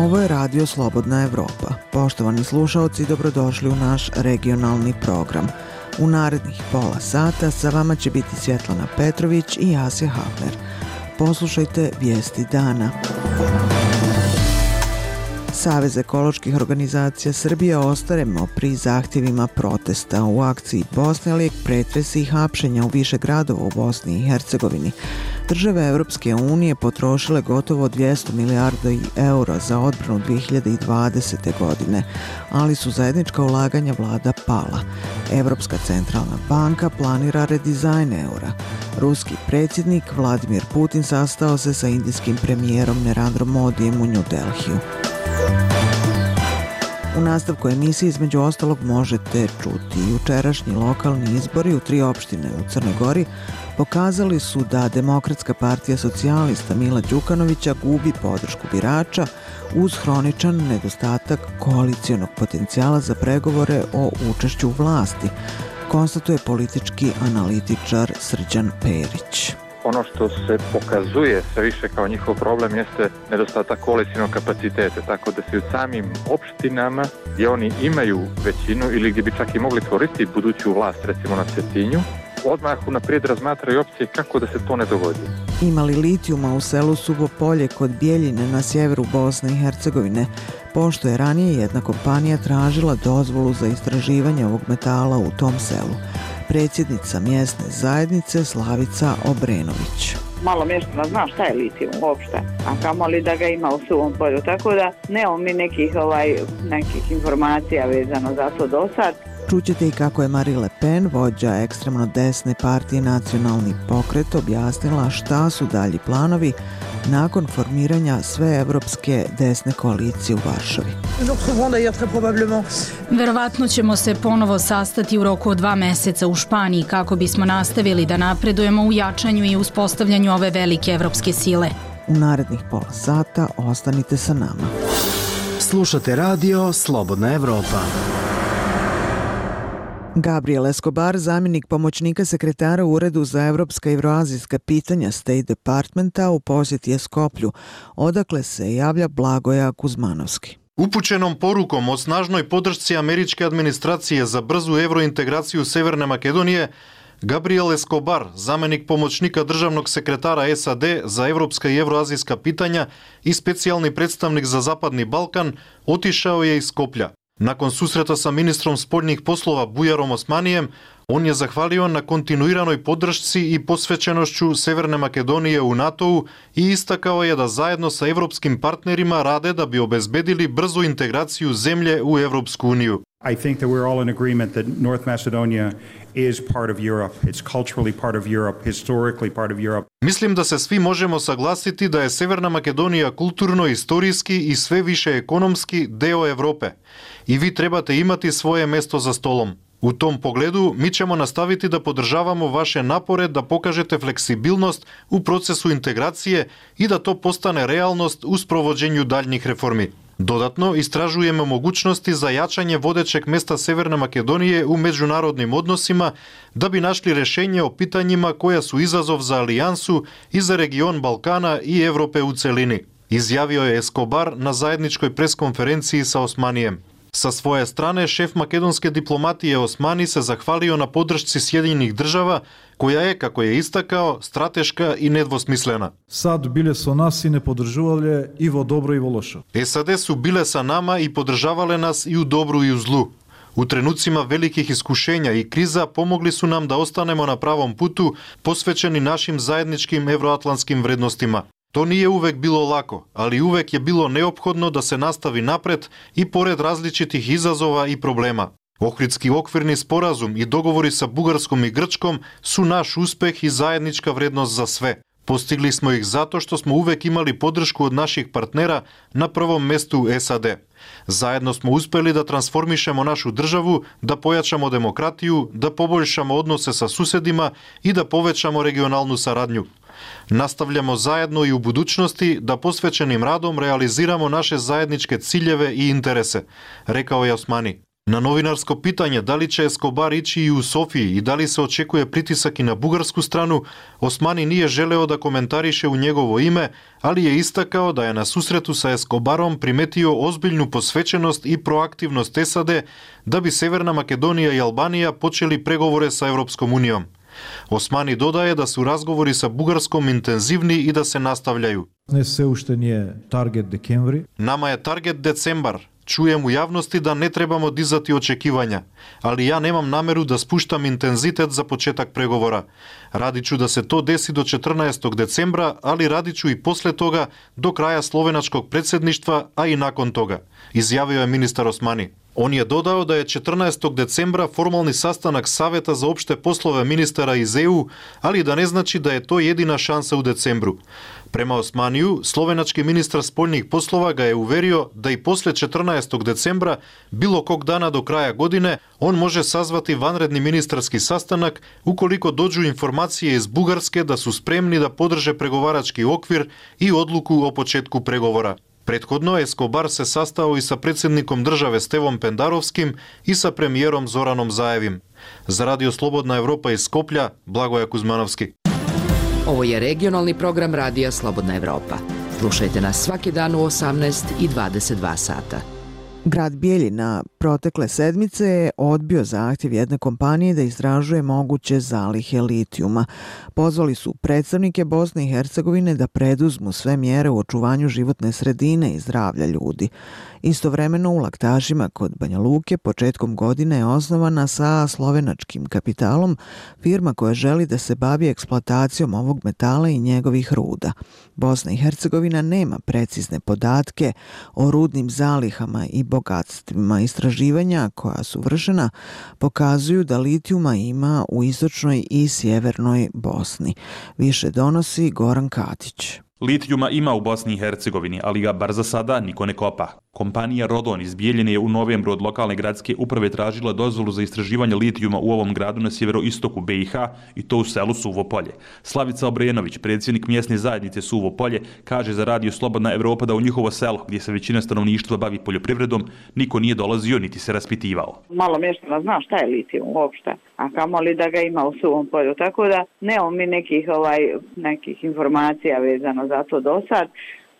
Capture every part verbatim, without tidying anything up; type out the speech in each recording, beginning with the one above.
Ovo je Radio Slobodna Evropa. Poštovani slušaoci, dobrodošli u naš regionalni program. U narednih pola sata sa vama će biti Svjetlana Petrović i Asja Hafner. Poslušajte vijesti dana. Savez ekoloških organizacija Srbije ostaremo pri zahtjevima protesta u akciji Bosne, lijek pretresi i hapšenja u više gradova u Bosni i Hercegovini. Države Evropske unije potrošile gotovo dvjesto milijardi eura za odbranu dvije hiljade dvadesete. godine, ali su zajednička ulaganja vlada pala. Evropska centralna banka planira redizajn eura. Ruski predsjednik Vladimir Putin sastao se sa indijskim premijerom Narendrom Modijem u New Delhiju. U nastavku emisije između ostalog možete čuti jučerašnji lokalni izbori u tri opštine u Crnoj Gori pokazali su da Demokratska partija socijalista Mila Đukanovića gubi podršku birača uz hroničan nedostatak koalicionog potencijala za pregovore o učešću u vlasti, konstatuje politički analitičar Srđan Perić. Ono što se pokazuje sve više kao njihov problem jeste nedostatak koalicijnog kapaciteta, tako da se u samim opštinama gdje oni imaju većinu ili gdje bi čak i mogli tvoriti buduću vlast, recimo na Cetinju, odmah unaprijed razmatraju opcije kako da se to ne dogodi. Imali litijuma u selu Suvo Polje kod Bjeljine na sjeveru Bosne i Hercegovine, pošto je ranije jedna kompanija tražila dozvolu za istraživanje ovog metala u tom selu. Predsjednica mjesne zajednice Slavica Obrenović. Malo mještana zna šta je litijum uopšte, a kamoli da ga ima u Suvom Polju, tako da nemamo mi nekih, ovaj, nekih informacija vezano za to do sad. Čućete i kako je Marine Le Pen, vođa ekstremno desne partije Nacionalni pokret, objasnila šta su dalji planovi nakon formiranja sveevropske desne koalicije u Varšavi. Verovatno ćemo se ponovo sastati u roku od dva meseca u Španiji kako bismo nastavili da napredujemo u jačanju i uspostavljanju ove velike evropske sile. U narednih pola sata ostanite sa nama. Slušate radio Slobodna Evropa. Gabriel Escobar, zamjenik pomoćnika sekretara u Uredu za evropska i evroazijska pitanja State Departmenta, u posjeti je Skoplju, odakle se javlja Blagoja Kuzmanovski. Upućenom porukom o snažnoj podršci američke administracije za brzu evrointegraciju Severne Makedonije, Gabriel Escobar, zamjenik pomoćnika državnog sekretara S A D za evropska i evroazijska pitanja i specijalni predstavnik za Zapadni Balkan, otišao je iz Skoplja. Nakon susreta sa ministrom spoljnih poslova Bujarom Osmanijem, on je zahvalio na kontinuiranoj podršci i posvećenošću Severne Makedonije u NATO-u i istakao je da zajedno sa evropskim partnerima rade da bi obezbedili brzu integraciju zemlje u Evropsku uniju. I think that we're all in agreement that North Macedonia is part of Europe. It's culturally part of Europe, historically part of Europe. Mislim da se svi možemo saglasiti da je Severna Makedonija kulturno, istorijski i sve više ekonomski deo Evrope. I vi trebate imati svoje mesto za stolom. U tom pogledu mi ćemo nastaviti da podržavamo vaše napore da pokažete fleksibilnost u procesu integracije i da to postane realnost u sprovođenju daljnjih reformi. Dodatno, istražujemo mogućnosti za jačanje vodećeg mesta Severne Makedonije u međunarodnim odnosima da bi našli rješenje o pitanjima koja su izazov za alijansu i za region Balkana i Evrope u celini, izjavio je Escobar na zajedničkoj preskonferenciji sa Osmanijem. Sa svoje strane, šef makedonske diplomatije Osmani se zahvalio na podršci Sjedinjenih država, koja je, kako je istakao, strateška i nedvosmislena. Sad bile su nas i ne podržavale i vo dobro i vo lošo. S A D su bile sa nama i podržavale nas i u dobru i u zlu. U trenucima velikih iskušenja i kriza pomogli su nam da ostanemo na pravom putu, posvećeni našim zajedničkim evroatlantskim vrednostima. To nije uvek bilo lako, ali uvek je bilo neophodno da se nastavi napred i pored različitih izazova i problema. Ohridski okvirni sporazum i dogovori sa Bugarskom i Grčkom su naš uspeh i zajednička vrednost za sve. Postigli smo ih zato što smo uvek imali podršku od naših partnera, na prvom mestu S A D. Zajedno smo uspeli da transformišemo našu državu, da pojačamo demokratiju, da poboljšamo odnose sa susedima i da povećamo regionalnu saradnju. Nastavljamo zajedno i u budućnosti da posvećenim radom realiziramo naše zajedničke ciljeve i interese, rekao je Osmani. Na novinarsko pitanje da li će Escobar ići i u Sofiji i da li se očekuje pritisak i na bugarsku stranu, Osmani nije želeo da komentariše u njegovo ime, ali je istakao da je na susretu sa Escobarom primetio ozbiljnu posvećenost i proaktivnost S A D da bi Severna Makedonija i Albanija počeli pregovore sa Evropskom unijom. Osmani dodaje da su razgovori sa Bugarskom intenzivni i da se nastavljaju. Не се уште ни е таргет декември. Nama je target decembar. Čujem u javnosti da ne trebamo dizati očekivanja, ali ja nemam nameru da spuštam intenzitet za početak pregovora. Radit ću da se to desi do četrnaestog decembra, ali radit ću i posle toga do kraja slovenačkog predsjedništva, a i nakon toga, izjavio je ministar Osmani. On je dodao da je četrnaestog decembra formalni sastanak Saveta za opšte poslove ministara iz E U, ali da ne znači da je to jedina šansa u decembru. Prema Osmaniju, slovenački ministar spoljnih poslova ga je uverio da i posle četrnaestog decembra, bilo kog dana do kraja godine, on može sazvati vanredni ministarski sastanak ukoliko dođu informacije iz Bugarske da su spremni da podrže pregovarački okvir i odluku o početku pregovora. Prethodno, Escobar se sastao i sa predsjednikom države Stevom Pendarovskim i sa premijerom Zoranom Zaevim. Za Radio Slobodna Evropa iz Skoplja, Blagoje Kuzmanovski. Ovo je regionalni program Radija Slobodna Evropa. Slušajte nas svaki dan u osamnaest i dvadeset dva sata. Grad Bijeljina protekle sedmice je odbio zahtjev jedne kompanije da istražuje moguće zalihe litijuma. Pozvali su predstavnike Bosne i Hercegovine da preduzmu sve mjere u očuvanju životne sredine i zdravlja ljudi. Istovremeno u Laktašima kod Banja Luke početkom godine je osnovana sa slovenačkim kapitalom firma koja želi da se bavi eksploatacijom ovog metala i njegovih ruda. Bosna i Hercegovina nema precizne podatke o rudnim zalihama i bogatstvima. Istraživanja koja su vršena pokazuju da litijuma ima u istočnoj i sjevernoj Bosni. Više donosi Goran Katić. Litijuma ima u Bosni i Hercegovini, ali ga bar za sada niko ne kopa. Kompanija Rodon iz Bijeljine je u novembru od lokalne gradske uprave tražila dozvolu za istraživanje litijuma u ovom gradu na sjeveroistoku B i H i to u selu Suvo Polje. Slavica Obrenović, predsjednik mjesne zajednice Suvo Polje, kaže za Radio Slobodna Evropa da u njihovo selo, gdje se većina stanovništva bavi poljoprivredom, niko nije dolazio niti se raspitivao. Malo mještana zna šta je litijum uopšte, a kamoli da ga ima u Suvom Polju, tako da nemamo mi nekih, ovaj, nekih informacija vezano za to do sad,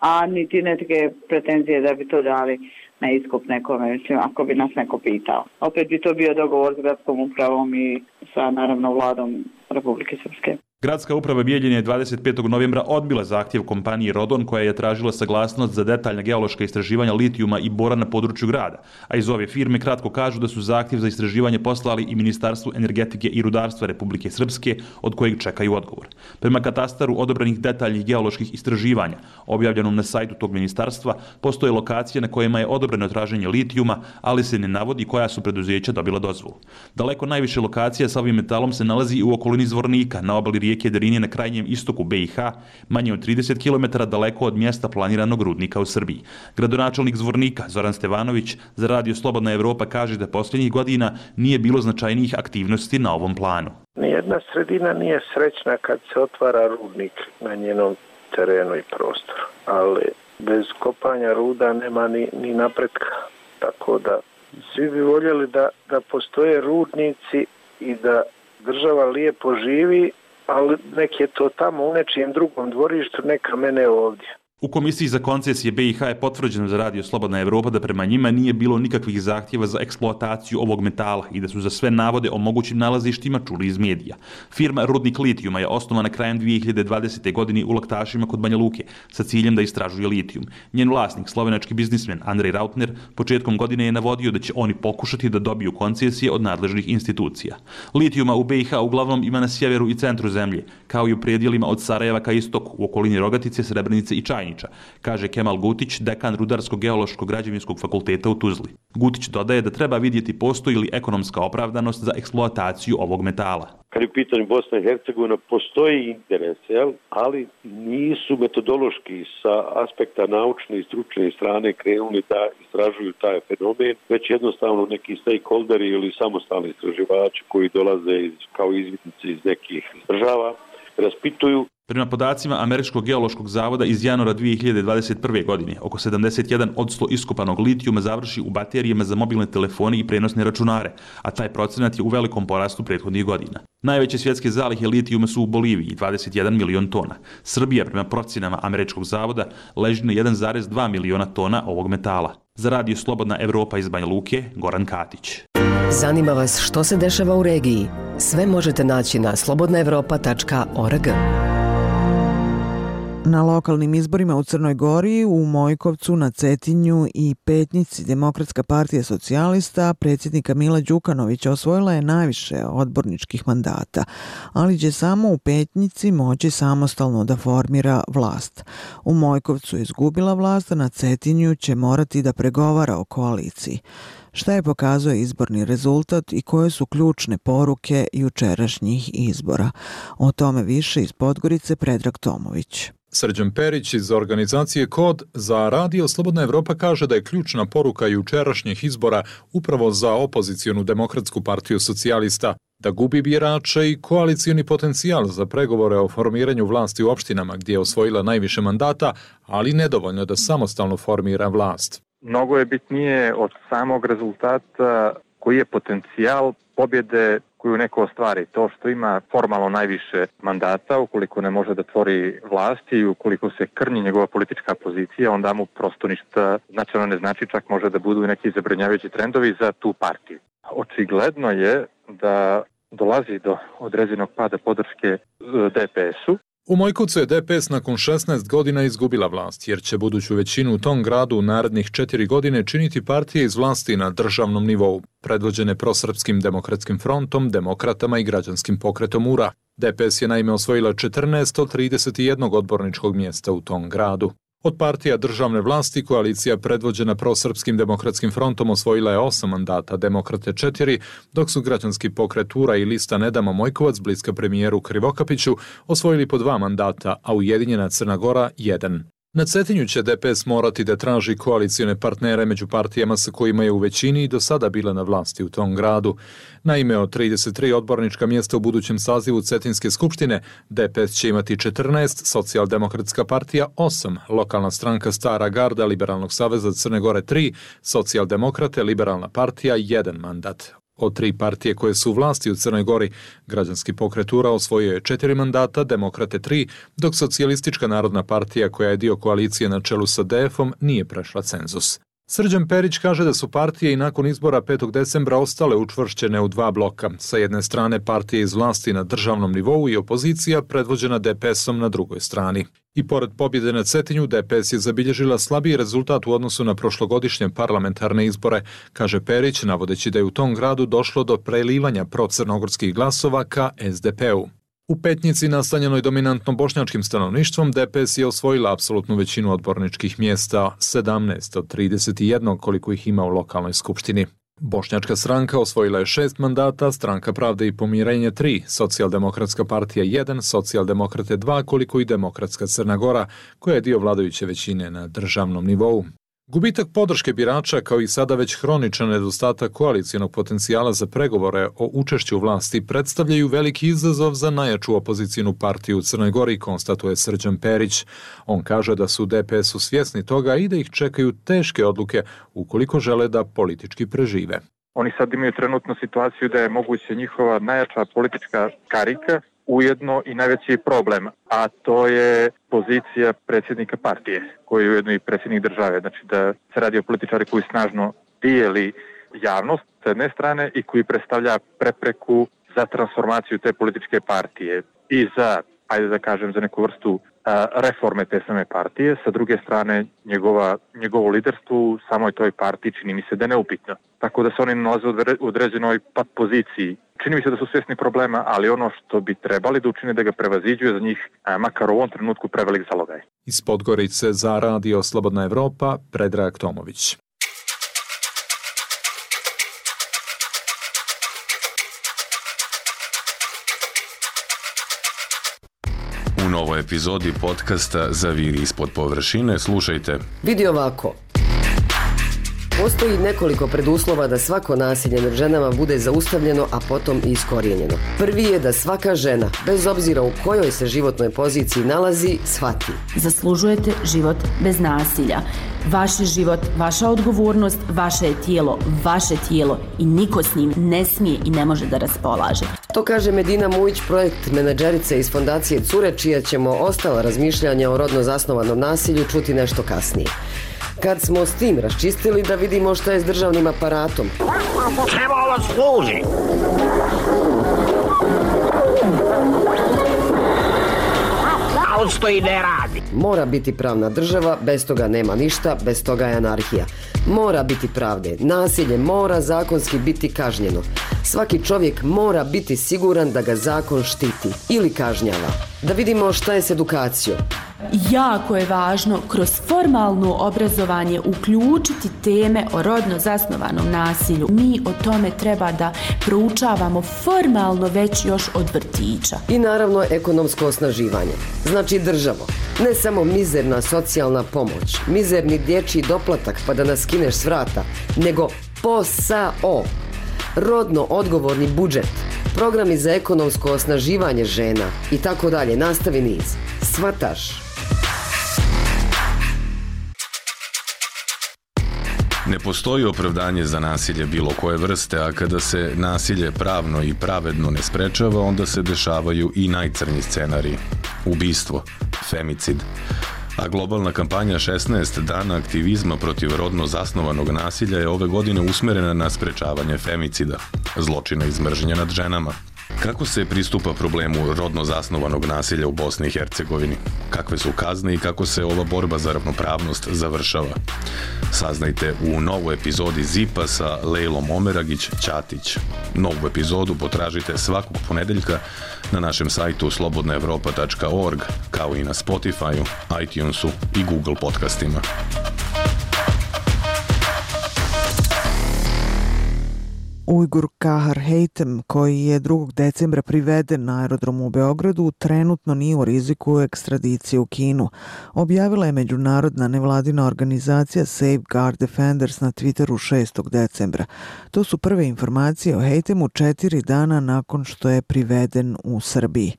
a niti neke pretenzije da bi to dali na iskup nekome, mislim, ako bi nas neko pitao. Opet bi to bio dogovor s gradskom upravom i sa, naravno, vladom Republike Srpske. Gradska uprava Bijeljine je dvadeset petog novembra odbila zahtjev kompanije Rodon koja je tražila saglasnost za detaljna geološka istraživanja litijuma i bora na području grada, a iz ove firme kratko kažu da su zahtjev za istraživanje poslali i Ministarstvu energetike i rudarstva Republike Srpske, od kojeg čekaju odgovor. Prema katastaru odobrenih detaljnih geoloških istraživanja, objavljenom na sajtu tog ministarstva, postoje lokacije na kojima je odobreno traženje litijuma, ali se ne navodi koja su preduzeća dobila dozvolu. Daleko najviše lokacija sa ovim metalom se nalazi u okolini Zvornika, na obali rijeke Drinje na krajnjem istoku B i H, manje od trideset kilometara daleko od mjesta planiranog rudnika u Srbiji. Gradonačelnik Zvornika, Zoran Stevanović, za Radio Slobodna Evropa kaže da posljednjih godina nije bilo značajnijih aktivnosti na ovom planu. Nijedna sredina nije srećna kad se otvara rudnik na njenom terenu i prostoru, ali bez kopanja ruda nema ni, ni napretka. Tako da svi bi voljeli da, da postoje rudnici i da država lijepo živi, ali nek je to tamo u nečijem drugom dvorištu, neka mene ovdje. U Komisiji za koncesije B i H je potvrđeno za Radio Slobodna Evropa da prema njima nije bilo nikakvih zahtjeva za eksploataciju ovog metala i da su za sve navode o mogućim nalazištima čuli iz medija. Firma Rudnik litijuma je osnovana krajem dvije hiljade dvadesete. godine u Laktašima kod Banja Luke sa ciljem da istražuje litijum. Njen vlasnik, slovenački biznismen Andrej Rautner, početkom godine je navodio da će oni pokušati da dobiju koncesije od nadležnih institucija. Litijuma u B i H uglavnom ima na sjeveru i centru zemlje, kao i u predjelima od Sarajeva ka istoku, u okolini Rogatice, Srebrenice i Čajnice, kaže Kemal Gutić, dekan Rudarsko-geološkog građevinskog fakulteta u Tuzli. Gutić dodaje da treba vidjeti postoji li ekonomska opravdanost za eksploataciju ovog metala. Kad je u pitanju Bosna i Hercegovina, postoji interes, jel? Ali nisu metodološki sa aspekta naučne i stručne strane krenuli da istražuju taj fenomen, već jednostavno neki stakeholderi ili samostalni istraživači koji dolaze iz, kao izvidnici iz nekih država raspituju. Prema podacima Američkog geološkog zavoda iz januara dvije hiljade dvadeset prve. godine, oko sedamdeset jedan posto iskopanog litijuma završi u baterijama za mobilne telefone i prenosne računare, a taj procenat je u velikom porastu prethodnih godina. Najveće svjetske zalihe litijuma su u Boliviji, dvadeset jedan milion tona. Srbija, prema procenama Američkog zavoda, leži na jedan zarez dva miliona tona ovog metala. Za Radio Slobodna Evropa iz Banja Luke, Goran Katić. Zanima vas što se dešava u regiji? Sve možete naći na slobodna evropa tačka org. Na lokalnim izborima u Crnoj Gori, u Mojkovcu, na Cetinju i Petnici Demokratska partija socijalista predsjednika Mila Đukanovića osvojila je najviše odborničkih mandata, ali će samo u Petnici moći samostalno da formira vlast. U Mojkovcu je izgubila vlast, a na Cetinju će morati da pregovara o koaliciji. Šta je pokazuje izborni rezultat i koje su ključne poruke jučerašnjih izbora? O tome više iz Podgorice Predrag Tomović. Srđan Perić iz organizacije Kod za Radio Slobodna Evropa kaže da je ključna poruka jučerašnjih izbora upravo za opozicijonu Demokratsku partiju socijalista, da gubi birače i koalicioni potencijal za pregovore o formiranju vlasti u opštinama gdje je osvojila najviše mandata, ali nedovoljno da samostalno formira vlast. Mnogo je bitnije od samog rezultata koji je potencijal pobjede koju neko ostvari. To što ima formalno najviše mandata, ukoliko ne može da tvori vlasti i ukoliko se krnji njegova politička pozicija, onda mu prosto ništa značajno ne znači, čak može da budu neki zabrinjavajući trendovi za tu partiju. Očigledno je da dolazi do određenog pada podrške D P S-u. U Mojkovcu je D P S nakon šesnaest godina izgubila vlast, jer će buduću većinu u tom gradu u narednih četiri godine činiti partije iz vlasti na državnom nivou, predvođene prosrpskim demokratskim frontom, demokratama i građanskim pokretom U R A. D P S je naime osvojila četrnaest od trideset jedan odborničkog mjesta u tom gradu. Od partija državne vlasti koalicija predvođena prosrpskim demokratskim frontom osvojila je osam mandata, Demokrate četiri, dok su građanski pokret U R A i lista Ne damo Mojkovac, bliska premijeru Krivokapiću, osvojili po dva mandata, a Ujedinjena Crna Gora jedan. Na Cetinju će D P S morati da traži koalicione partnere među partijama sa kojima je u većini i do sada bila na vlasti u tom gradu. Naime, od trideset tri odbornička mjesta u budućem sazivu Cetinske skupštine, D P S će imati četrnaest, Socijaldemokratska partija osam, lokalna stranka Stara garda Liberalnog saveza Crne Gore tri, Socijaldemokrate Liberalna partija jedan mandat. Od tri partije koje su u vlasti u Crnoj Gori, građanski pokret U R A osvojio je četiri mandata, Demokrate tri, dok Socijalistička narodna partija koja je dio koalicije na čelu sa D F-om nije prešla cenzus. Srđan Perić kaže da su partije i nakon izbora petog decembra ostale učvršćene u dva bloka. Sa jedne strane partije iz vlasti na državnom nivou i opozicija predvođena D P S-om na drugoj strani. I pored pobjede na Cetinju, D P S je zabilježila slabiji rezultat u odnosu na prošlogodišnje parlamentarne izbore, kaže Perić, navodeći da je u tom gradu došlo do prelivanja procrnogorskih glasova ka S D P-u. U Petnici, nastanjenoj dominantno bošnjačkim stanovništvom, D P S je osvojila apsolutnu većinu odborničkih mjesta, sedamnaest od trideset jedan koliko ih ima u lokalnoj skupštini. Bošnjačka stranka osvojila je šest mandata, Stranka pravde i pomirenja tri, Socijaldemokratska partija jedan, Socijaldemokrate dva, koliko i Demokratska Crna Gora, koja je dio vladajuće većine na državnom nivou. Gubitak podrške birača kao i sada već hroničan nedostatak koalicijonog potencijala za pregovore o učešću u vlasti predstavljaju veliki izazov za najjaču opozicijnu partiju u Crnoj Gori, konstatuje Srđan Perić. On kaže da su D P S-u svjesni toga i da ih čekaju teške odluke ukoliko žele da politički prežive. Oni sad imaju trenutnu situaciju da je moguće njihova najjača politička karika, ujedno i najveći problem, a to je pozicija predsjednika partije, koji je ujedno i predsjednik države. Znači da se radi o političari koji snažno dijeli javnost s jedne strane i koji predstavlja prepreku za transformaciju te političke partije i za, ajde da kažem, za neku vrstu a, reforme te same partije. Sa druge strane, njegova, njegovo liderstvo u samoj toj partiji čini mi se da je neupitno. Tako da se oni nalaze u određenoj pat poziciji. Čini mi se da su svjesni problema, ali ono što bi trebali da učine da ga prevaziđuje za njih, a, makar u ovom trenutku prevelik zalogaj. Iz Podgorice za Radio Slobodna Evropa, Predrag Tomović. U novoj epizodi podcasta Zaviri ispod površine slušajte. Vidi ovako. Postoji nekoliko preduslova da svako nasilje nad ženama bude zaustavljeno, a potom i iskorijenjeno. Prvi je da svaka žena, bez obzira u kojoj se životnoj poziciji nalazi, shvati. Zaslužujete život bez nasilja. Vaš je život, vaša odgovornost, vaše je tijelo, vaše tijelo i niko s njim ne smije i ne može da raspolaže. To kaže Medina Mujić, projekt menadžerice iz fondacije Cure, čija ćemo ostala razmišljanja o rodno zasnovanom nasilju čuti nešto kasnije. Kad smo s tim raščistili, da vidimo šta je s državnim aparatom. Čemu ovo služi? A on stoji ne radi. Mora biti pravna država, bez toga nema ništa, bez toga je anarhija. Mora biti pravde, nasilje mora zakonski biti kažnjeno. Svaki čovjek mora biti siguran da ga zakon štiti ili kažnjava. Da vidimo šta je s edukacijom. Jako je važno kroz formalno obrazovanje uključiti teme o rodno zasnovanom nasilju. Mi o tome treba da proučavamo formalno već još od vrtića. I naravno ekonomsko osnaživanje. Znači državo, ne samo mizerna socijalna pomoć, mizerni dječji doplatak pa da nas skineš s vrata, nego posao. Rodno odgovorni budžet, programi za ekonomsko osnaživanje žena i tako dalje. Nastavi niz. Svataš? Ne postoji opravdanje za nasilje bilo koje vrste, a kada se nasilje pravno i pravedno ne sprečava, onda se dešavaju i najcrnji scenariji. Ubistvo, femicid. A globalna kampanja šesnaest dana aktivizma protiv rodno zasnovanog nasilja je ove godine usmerena na sprečavanje femicida, zločina iz mržnje nad ženama. Kako se pristupa problemu rodno zasnovanog nasilja u Bosni i Hercegovini? Kakve su kazne i kako se ova borba za ravnopravnost završava? Saznajte u novoj epizodi Zipa sa Lejlom Omeragić-Ćatić. Novu epizodu potražite svakog ponedeljka na našem sajtu slobodna evropa tačka org, kao i na Spotify-u, iTunesu i Google podcastima. Ujgur Kahar Hejtem, koji je drugog decembra priveden na aerodromu u Beogradu, trenutno nije u riziku ekstradicije u Kinu. Objavila je međunarodna nevladina organizacija Safeguard Defenders na Twitteru šestog decembra. To su prve informacije o Hejtemu četiri dana nakon što je priveden u Srbiji.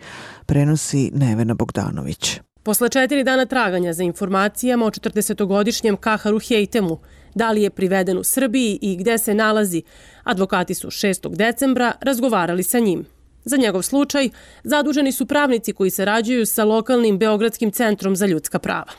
Prenosi Nevena Bogdanović. Posle četiri dana traganja za informacijama o četrdesetogodišnjem Kaharu Hejtemu, da li je priveden u Srbiji i gde se nalazi, advokati su šestog decembra razgovarali sa njim. Za njegov slučaj zaduženi su pravnici koji sarađuju sa lokalnim Beogradskim centrom za ljudska prava.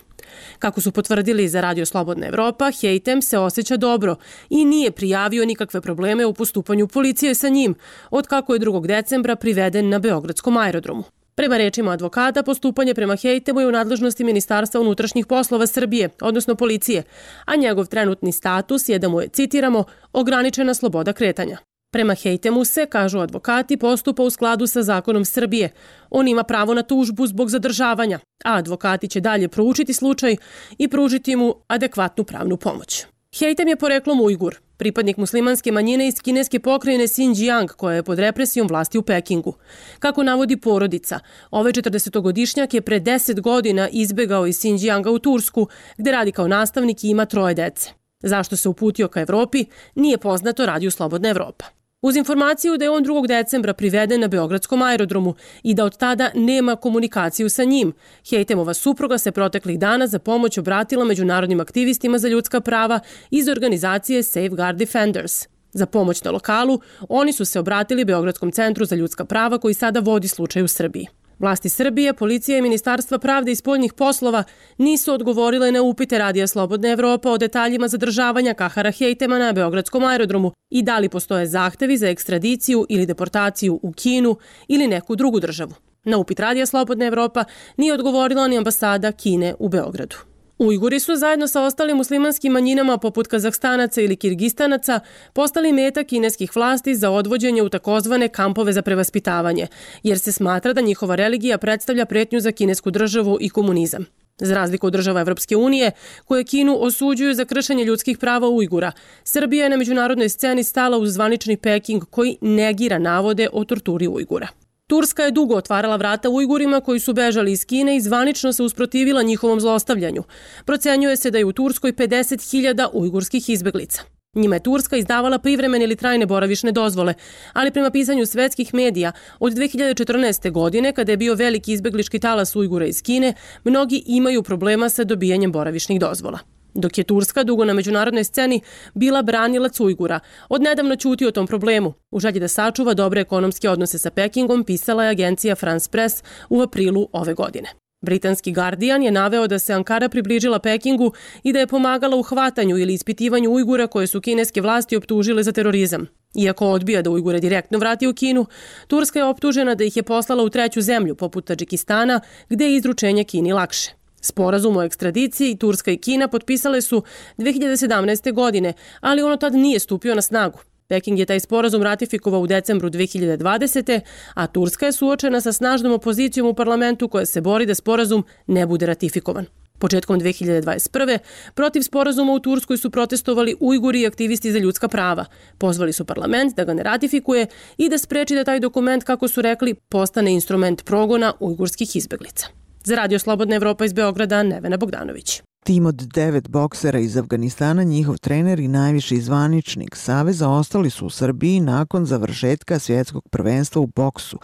Kako su potvrdili za Radio Slobodna Evropa, Hejtem se osjeća dobro i nije prijavio nikakve probleme u postupanju policije sa njim, od kako je drugog decembra priveden na Beogradskom aerodromu. Prema rečima advokata, postupanje prema Hejtemu je u nadležnosti Ministarstva unutrašnjih poslova Srbije, odnosno policije, a njegov trenutni status je da mu je, citiramo, ograničena sloboda kretanja. Prema Hejtemu se, kažu advokati, postupa u skladu sa zakonom Srbije. On ima pravo na tužbu zbog zadržavanja, a advokati će dalje proučiti slučaj i pružiti mu adekvatnu pravnu pomoć. Hejtem je poreklom Ujgur, pripadnik muslimanske manjine iz kineske pokrajine Xinjiang, koja je pod represijom vlasti u Pekingu. Kako navodi porodica, ovaj četrdesetogodišnjak je pre deset godina izbegao iz Xinjianga u Tursku, gde radi kao nastavnik i ima troje dece. Zašto se uputio ka Evropi, nije poznato, Radio Slobodna Evropa. Uz informaciju da je on drugog decembra priveden na Beogradskom aerodromu i da od tada nema komunikaciju sa njim, Hejtemova supruga se proteklih dana za pomoć obratila međunarodnim aktivistima za ljudska prava iz organizacije Safeguard Defenders. Za pomoć na lokalu, oni su se obratili Beogradskom centru za ljudska prava koji sada vodi slučaj u Srbiji. Vlasti Srbije, policija i Ministarstva pravde i spoljnih poslova nisu odgovorile na upite Radija Slobodna Evropa o detaljima zadržavanja Kahara Hejtema na Beogradskom aerodromu i da li postoje zahtevi za ekstradiciju ili deportaciju u Kinu ili neku drugu državu. Na upit Radija Slobodna Evropa nije odgovorila ni ambasada Kine u Beogradu. Ujguri su zajedno sa ostalim muslimanskim manjinama poput Kazahstanaca ili Kirgistanaca postali meta kineskih vlasti za odvođenje u takozvane kampove za prevaspitavanje, jer se smatra da njihova religija predstavlja pretnju za kinesku državu i komunizam. Za razliku od država Evropske unije, koje Kinu osuđuju za kršenje ljudskih prava Ujgura, Srbija je na međunarodnoj sceni stala uz zvanični Peking koji negira navode o torturi Ujgura. Turska je dugo otvarala vrata Ujgurima koji su bežali iz Kine i zvanično se usprotivila njihovom zlostavljanju. Procenjuje se da je u Turskoj pedeset hiljada ujgurskih izbeglica. Njima je Turska izdavala privremene ili trajne boravišne dozvole, ali prema pisanju svetskih medija, od dve hiljade četrnaeste. godine, kada je bio veliki izbeglički talas Ujgura iz Kine, mnogi imaju problema sa dobijanjem boravišnih dozvola. Dok je Turska dugo na međunarodnoj sceni bila branilac Ujgura, odnedavno ćuti o tom problemu. U želji da sačuva dobre ekonomske odnose sa Pekingom, pisala je agencija France Press u aprilu ove godine. Britanski Guardian je naveo da se Ankara približila Pekingu i da je pomagala u hvatanju ili ispitivanju Ujgura koje su kineske vlasti optužile za terorizam. Iako odbija da Ujgure direktno vrati u Kinu, Turska je optužena da ih je poslala u treću zemlju, poput Tadžikistana, gde je izručenje Kini lakše. Sporazum o ekstradiciji Turska i Kina potpisale su dve hiljade sedamnaeste. godine, ali ono tad nije stupio na snagu. Peking je taj sporazum ratifikovao u decembru dve hiljade dvadesete. a Turska je suočena sa snažnom opozicijom u parlamentu koja se bori da sporazum ne bude ratifikovan. Početkom dve hiljade dvadeset prve. protiv sporazuma u Turskoj su protestovali Ujguri i aktivisti za ljudska prava. Pozvali su parlament da ga ne ratifikuje i da spreči da taj dokument, kako su rekli, postane instrument progona ujgurskih izbeglica. Za Radio Slobodna Evropa iz Beograda, Nevena Bogdanović. Tim od devet boksera iz Afganistana, njihov trener i najviši zvaničnik Saveza ostali su u Srbiji nakon završetka svjetskog prvenstva u boksu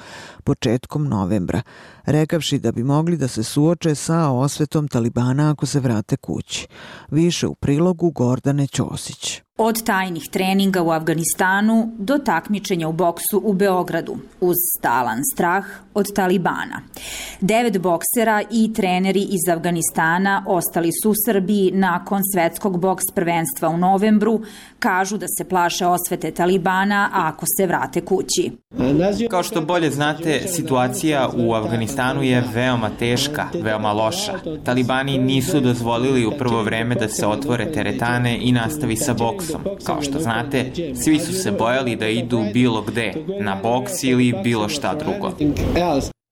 početkom novembra, rekavši da bi mogli da se suoče sa osvetom Talibana ako se vrate kući. Više u prilogu Gordane Ćosić. Od tajnih treninga u Afganistanu do takmičenja u boksu u Beogradu, uz stalan strah od Talibana. Devet boksera i treneri iz Afganistana ostali su u Srbiji nakon svetskog boks prvenstva u novembru, kažu da se plaše osvete Talibana ako se vrate kući. Kao što bolje znate, situacija u Afganistanu je veoma teška, veoma loša. Talibani nisu dozvolili u prvo vreme da se otvore teretane i nastavi sa boksom. Kao što znate, svi su se bojali da idu bilo gde, na boks ili bilo šta drugo.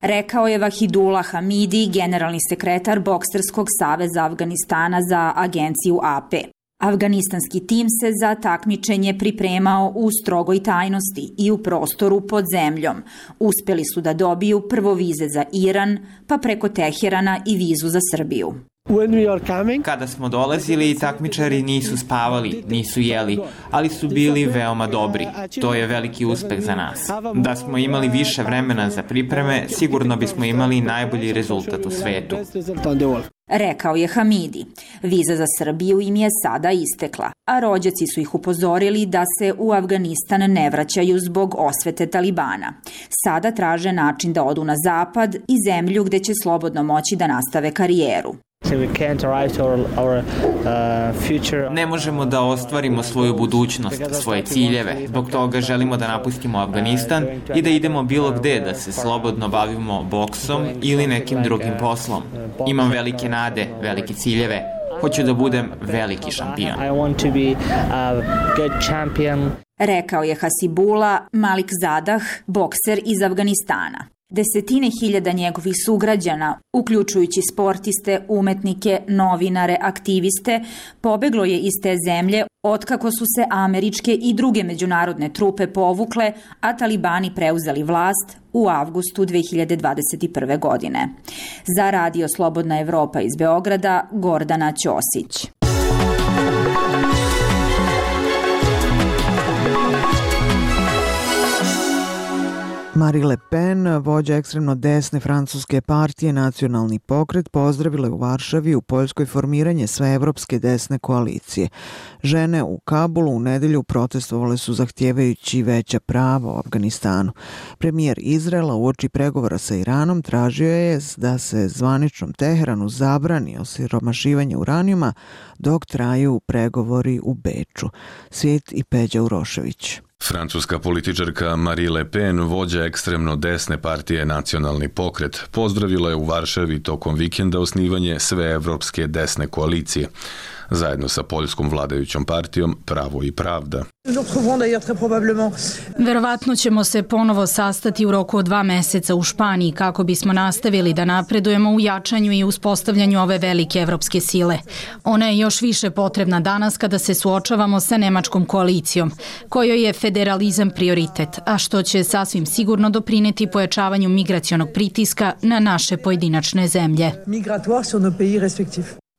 Rekao je Vahidullah Hamidi, generalni sekretar Bokserskog saveza Afganistana za agenciju A P. Afganistanski tim se za takmičenje pripremao u strogoj tajnosti i u prostoru pod zemljom. Uspeli su da dobiju prvo vize za Iran, pa preko Teherana i vizu za Srbiju. Kada smo dolazili, takmičari nisu spavali, nisu jeli, ali su bili veoma dobri. To je veliki uspeh za nas. Da smo imali više vremena za pripreme, sigurno bismo imali najbolji rezultat u svetu. Rekao je Hamidi. Viza za Srbiju im je sada istekla, a rođaci su ih upozorili da se u Afganistan ne vraćaju zbog osvete Talibana. Sada traže način da odu na zapad i zemlju gde će slobodno moći da nastave karijeru. Ne možemo da ostvarimo svoju budućnost, svoje ciljeve. Zbog toga želimo da napustimo Afganistan i da idemo bilo gde, da se slobodno bavimo boksom ili nekim drugim poslom. Imam velike nade, velike ciljeve. Hoću da budem veliki šampion. Rekao je Hasibullah Malik Zadah, bokser iz Afganistana. Desetine hiljada njegovih sugrađana, uključujući sportiste, umetnike, novinare, aktiviste, pobeglo je iz te zemlje otkako su se američke i druge međunarodne trupe povukle, a Talibani preuzeli vlast u avgustu dve hiljade dvadeset prve. godine. Za Radio Slobodna Evropa iz Beograda, Gordana Ćosić. Marine Le Pen, vođa ekstremno desne francuske partije Nacionalni pokret, pozdravila je u Varšavi u Poljskoj formiranje sveevropske desne koalicije. Žene u Kabulu u nedelju protestovale su zahtjevajući veća prava u Afganistanu. Premijer Izraela uoči pregovora sa Iranom tražio je da se zvaničnom Teheranu zabrani osiromašivanje uranijuma dok traju pregovori u Beču. Svijet i Peđa Urošević. Francuska političarka Marine Le Pen, vođa ekstremno desne partije Nacionalni pokret, pozdravila je u Varšavi tokom vikenda osnivanje sveevropske desne koalicije. zajedno sa poljskom vladajućom partijom Pravo i pravda. Verovatno ćemo se ponovo sastati u roku od dva meseca u Španiji kako bismo nastavili da napredujemo u jačanju i uspostavljanju ove velike evropske sile. Ona je još više potrebna danas kada se suočavamo sa nemačkom koalicijom, kojoj je federalizam prioritet, a što će sasvim sigurno doprineti pojačavanju migracionog pritiska na naše pojedinačne zemlje.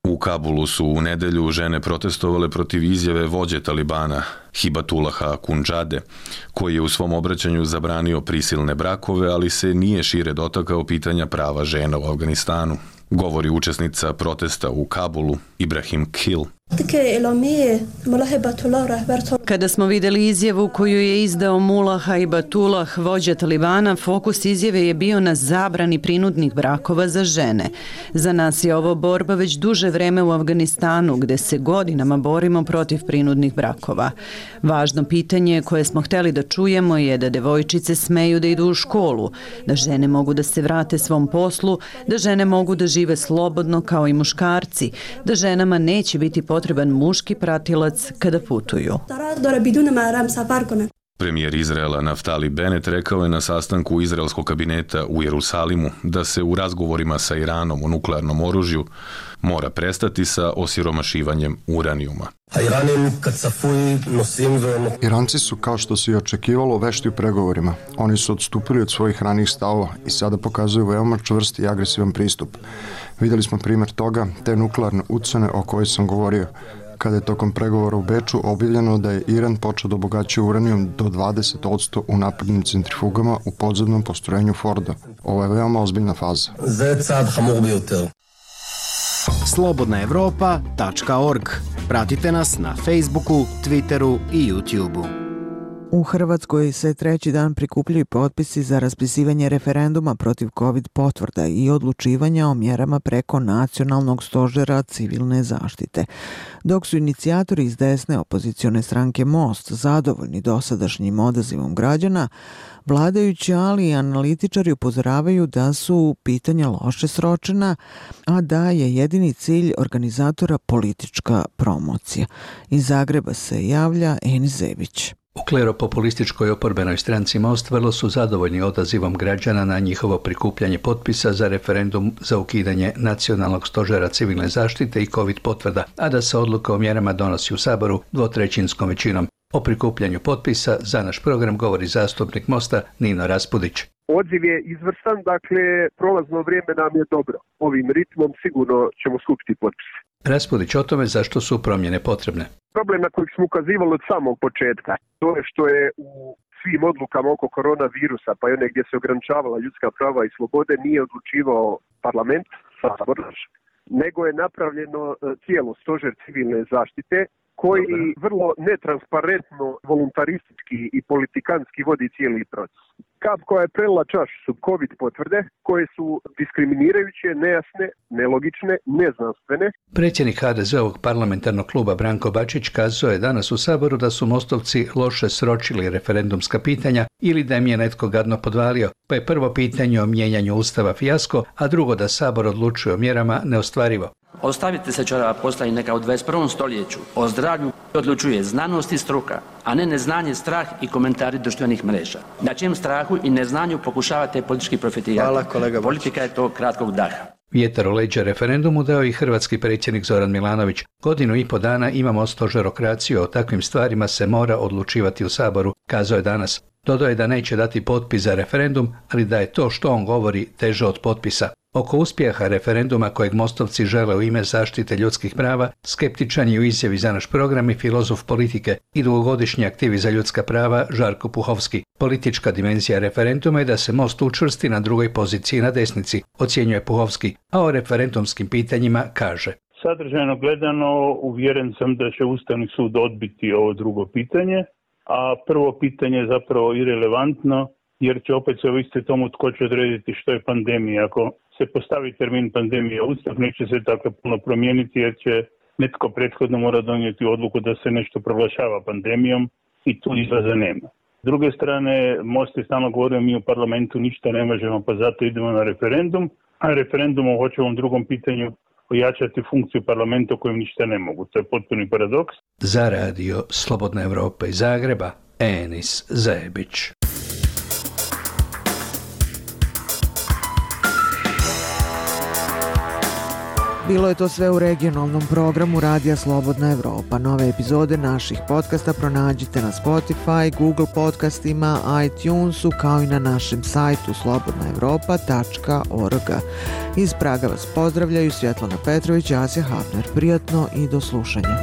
U Kabulu su u nedelju žene protestovale protiv izjave vođe Talibana, Hibatullaha Kunđade, koji je u svom obraćanju zabranio prisilne brakove, ali se nije šire dotakao pitanja prava žena u Afganistanu. Govori učesnica protesta u Kabulu, Ibrahim Kil. Kada smo vidjeli izjavu koju je izdao Mullah Hibatulah, vođa Talibana, fokus izjave je bio na zabrani prinudnih brakova za žene. Za nas je ovo borba već duže vreme u Afganistanu, gde se godinama borimo protiv prinudnih brakova. Važno pitanje koje smo hteli da čujemo je da devojčice smeju da idu u školu, da žene mogu da se vrate svom poslu, da žene mogu da žive slobodno kao i muškarci, da ženama neće biti potreban muški pratilac kada putuju. Premijer Izraela Naftali Bennett rekao je na sastanku izraelskog kabineta u Jerusalimu da se u razgovorima sa Iranom o nuklearnom oružju mora prestati sa osiromašivanjem uranijuma. Iranci su, kao što se i očekivalo, vešti u pregovorima. Oni su odstupili od svojih ranijih stavova i sada pokazuju veoma čvrst i agresivan pristup. Vidjeli smo primjer toga, te nuklearne ucene o kojoj sam govorio, kada je tokom pregovora u Beču objavljeno da je Iran počeo da obogaćuje uranijum do dvadeset posto u naprednim centrifugama u podzemnom postrojenju Forda. Ovo je veoma ozbiljna faza. slobodna evropa tačka org. Pratite nas na Facebooku, Twitteru i YouTubeu. U Hrvatskoj se treći dan prikupljaju potpisi za raspisivanje referenduma protiv COVID potvrda i odlučivanja o mjerama preko nacionalnog stožera civilne zaštite. Dok su inicijatori iz desne opozicione stranke Most zadovoljni dosadašnjim odazivom građana, vladajući, ali i analitičari upozoravaju da su pitanja loše sročena, a da je jedini cilj organizatora politička promocija. Iz Zagreba se javlja Enis Zebić. U kleropopulističkoj oporbenoj stranci Most vrlo su zadovoljni odazivom građana na njihovo prikupljanje potpisa za referendum za ukidanje nacionalnog stožera civilne zaštite i COVID potvrda, a da se odluka o mjerama donosi u Saboru dvotrećinskom većinom. O prikupljanju potpisa za naš program govori zastupnik Mosta Nino Raspudić. Odziv je izvrstan, dakle prolazno vrijeme nam je dobro. Ovim ritmom sigurno ćemo skupiti potpise. Raspudić o tome zašto su promjene potrebne. Problem na koji smo ukazivali od samog početka, to je što je u svim odlukama oko koronavirusa, pa i one gdje se ograničavala ljudska prava i slobode, nije odlučivao parlament, Sabor, nego je napravljeno tijelo stožer civilne zaštite, koji vrlo netransparentno, voluntaristički i politikanski vodi cijeli proces. Kap koja je prelila čašu su COVID potvrde, koje su diskriminirajuće, nejasne, nelogične, neznanstvene. Predsjednik ha de zeovog parlamentarnog kluba Branko Bačić kazao je danas u Saboru da su Mostovci loše sročili referendumska pitanja ili da im je netko gadno podvalio, pa je prvo pitanje o mijenjanju Ustava fijasko, a drugo da Sabor odlučuje o mjerama neostvarivo. Ostavite se čorava posla i neka u dvadeset prvom stoljeću o zdravlju odlučuje znanost i struka, a ne neznanje, strah i komentari društvenih mreža. Na čijem strahu i neznanju pokušavate politički profitirati. Hvala, kolega. Politika je to kratkog daha. Vjetar u leđa referendumu dao i hrvatski predsjednik Zoran Milanović. Godinu i po dana imamo stožerokraciju, o takvim stvarima se mora odlučivati u Saboru, kazao je danas. Dodao je da neće dati potpis za referendum, ali da je to što on govori teže od potpisa. Oko uspjeha referenduma kojeg Mostovci žele u ime zaštite ljudskih prava, skeptičan je u izjavi za naš program i filozof politike i dugogodišnji aktivist za ljudska prava Žarko Puhovski. Politička dimenzija referenduma je da se Most učvrsti na drugoj poziciji na desnici, ocjenjuje Puhovski, a o referendumskim pitanjima kaže. Sadržajno gledano, uvjeren sam da će Ustavni sud odbiti ovo drugo pitanje, a prvo pitanje je zapravo irelevantno, jer će opet se ovisiti tomu tko će odrediti što je pandemija. Ako se postavi termin pandemije u Ustav, neće se tako puno promijeniti, jer će netko prethodno mora donijeti odluku da se nešto proglašava pandemijom i tu izlaza nema. S druge strane, Most je stalno govorio, mi u parlamentu ništa ne možemo, pa zato idemo na referendum, a referendum o hoćevom drugom pitanju ojačati funkciju parlamenta u kojem ništa ne mogu. To je potpuni paradoks. Za radio Slobodna Evropa iz Zagreba, Enis Zajebić. Bilo je to sve u regionalnom programu Radija Slobodna Evropa. Nove epizode naših podcasta pronađite na Spotify, Google podcastima, iTunesu, kao i na našem sajtu slobodna evropa tačka org. Iz Praga vas pozdravljaju Svjetlana Petrović i Asja Hafner. Prijatno i do slušanja.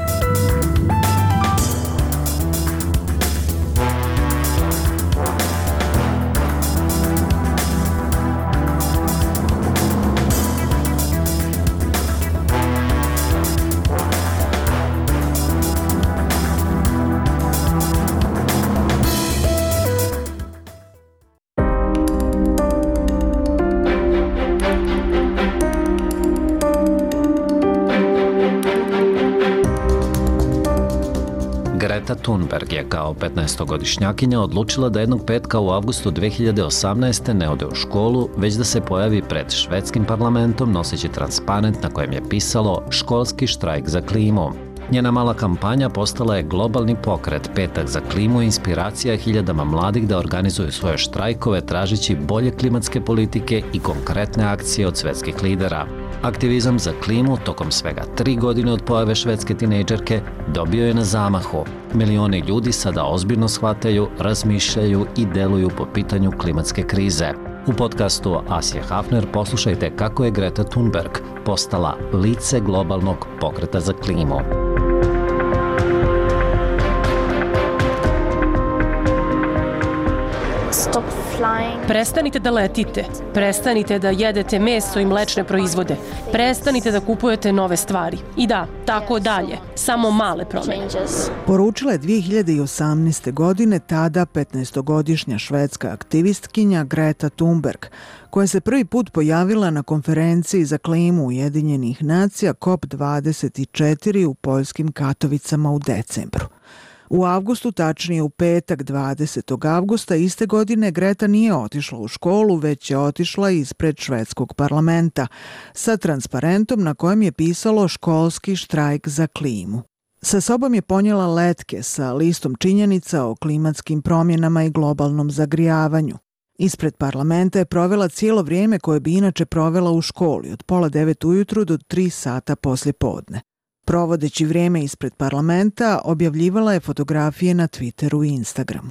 Greta Thunberg je kao petnaestogodišnjakinja odlučila da jednog petka u avgustu dve hiljade osamnaeste. ne ode u školu, već da se pojavi pred švedskim parlamentom noseći transparent na kojem je pisalo školski štrajk za klimu. Njena mala kampanja postala je globalni pokret Petak za klimu i inspiracija hiljadama mladih da organizuju svoje štrajkove tražeći bolje klimatske politike i konkretne akcije od svetskih lidera. Aktivizam za klimu tokom svega tri godine od pojave švedske tinejdžerke dobio je na zamahu. Milioni ljudi sada ozbiljno shvataju, razmišljaju i deluju po pitanju klimatske krize. U podcastu Asje Hafner poslušajte kako je Greta Thunberg postala lice globalnog pokreta za klimu. Prestanite da letite, prestanite da jedete meso i mlečne proizvode, prestanite da kupujete nove stvari. I da, tako dalje, samo male promjene. Poručila je dvije hiljade osamnaeste. godine tada petnaestogodišnja švedska aktivistkinja Greta Thunberg, koja se prvi put pojavila na konferenciji za klimu Ujedinjenih nacija C O P dvadeset četiri u poljskim Katovicama u decembru. U avgustu, tačnije u petak dvadesetog avgusta iste godine, Greta nije otišla u školu, već je otišla ispred švedskog parlamenta sa transparentom na kojem je pisalo školski štrajk za klimu. Sa sobom je ponijela letke sa listom činjenica o klimatskim promjenama i globalnom zagrijavanju. Ispred parlamenta je provela cijelo vrijeme koje bi inače provela u školi, od pola devet ujutru do tri sata poslje podne. Provodeći vrijeme ispred parlamenta, objavljivala je fotografije na Twitteru i Instagramu.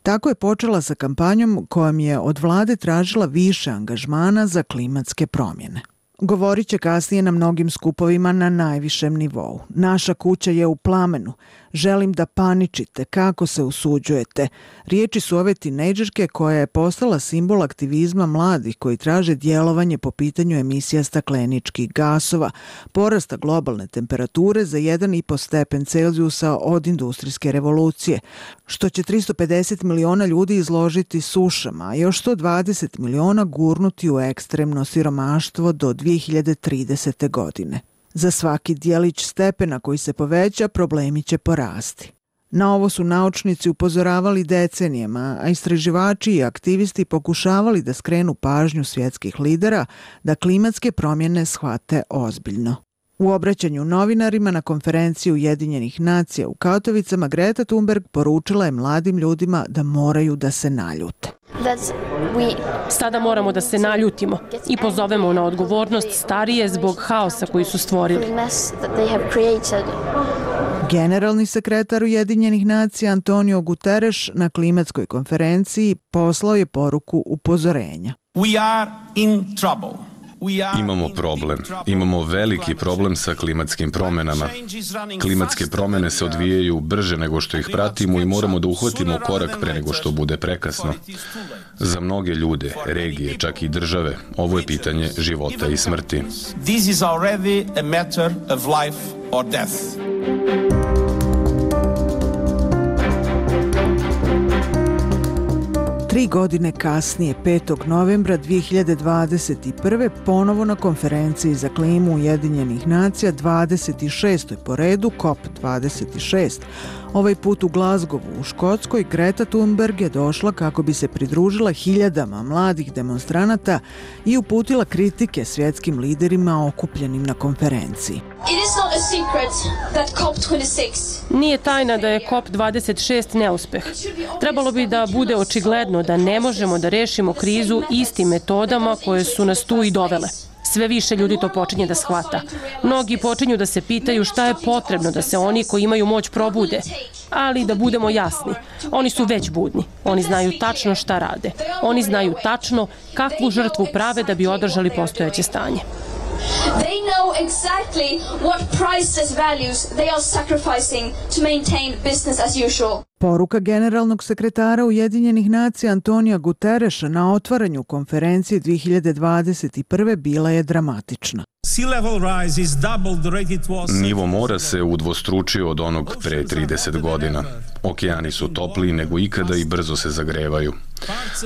Tako je počela sa kampanjom kojom je od vlade tražila više angažmana za klimatske promjene. Govorit će kasnije na mnogim skupovima na najvišem nivou. Naša kuća je u plamenu. Želim da paničite. Kako se usuđujete? Riječi su ove tinejdžerke koja je postala simbol aktivizma mladih koji traže djelovanje po pitanju emisija stakleničkih gasova, porasta globalne temperature za jedan i po stepen Celzijusa od industrijske revolucije, što će tristo pedeset miliona ljudi izložiti sušama, a još sto dvadeset miliona gurnuti u ekstremno siromaštvo do dvije hiljade tridesete. godine. Za svaki dijelić stepena koji se poveća, problemi će porasti. Na ovo su naučnici upozoravali decenijama, a istraživači i aktivisti pokušavali da skrenu pažnju svjetskih lidera da klimatske promjene shvate ozbiljno. U obraćanju novinarima na konferenciji Ujedinjenih nacija u Katovicama, Greta Thunberg poručila je mladim ljudima da moraju da se naljute. Sada moramo da se naljutimo i pozovemo na odgovornost starije zbog haosa koji su stvorili. Generalni sekretar Ujedinjenih nacija Antonio Guterres na klimatskoj konferenciji poslao je poruku upozorenja. We are in trouble. Imamo problem. Imamo veliki problem sa klimatskim promjenama. Klimatske promjene se odvijaju brže nego što ih pratimo i moramo da uhvatimo korak pre nego što bude prekasno. Za mnoge ljude, regije, čak i države, ovo je pitanje života i smrti. This is already a matter of life or death. Tri godine kasnije, petog novembra dvije hiljade dvadeset prve. ponovo na konferenciji za klimu Ujedinjenih nacija, dvadeset šestoj po redu, kop dvadeset šest. Ovaj put u Glazgovu u Škotskoj, Greta Thunberg je došla kako bi se pridružila hiljadama mladih demonstranata i uputila kritike svjetskim liderima okupljenim na konferenciji. Nije tajna da je kop dvadeset šest neuspeh. Trebalo bi da bude očigledno da ne možemo da rešimo krizu istim metodama koje su nas tu i dovele. Sve više ljudi to počinje da shvata. Mnogi počinju da se pitaju šta je potrebno da se oni koji imaju moć probude. Ali da budemo jasni, oni su već budni. Oni znaju tačno šta rade. Oni znaju tačno kakvu žrtvu prave da bi održali postojeće stanje. They know exactly what priceless values they are sacrificing to maintain business as usual. Poruka generalnog sekretara Ujedinjenih nacija Antonija Gutereša na otvaranju konferencije dvije hiljade dvadeset prve. bila je dramatična. Nivo mora se udvostručio od onog pre trideset godina. Okeani su topliji nego ikada i brzo se zagrevaju.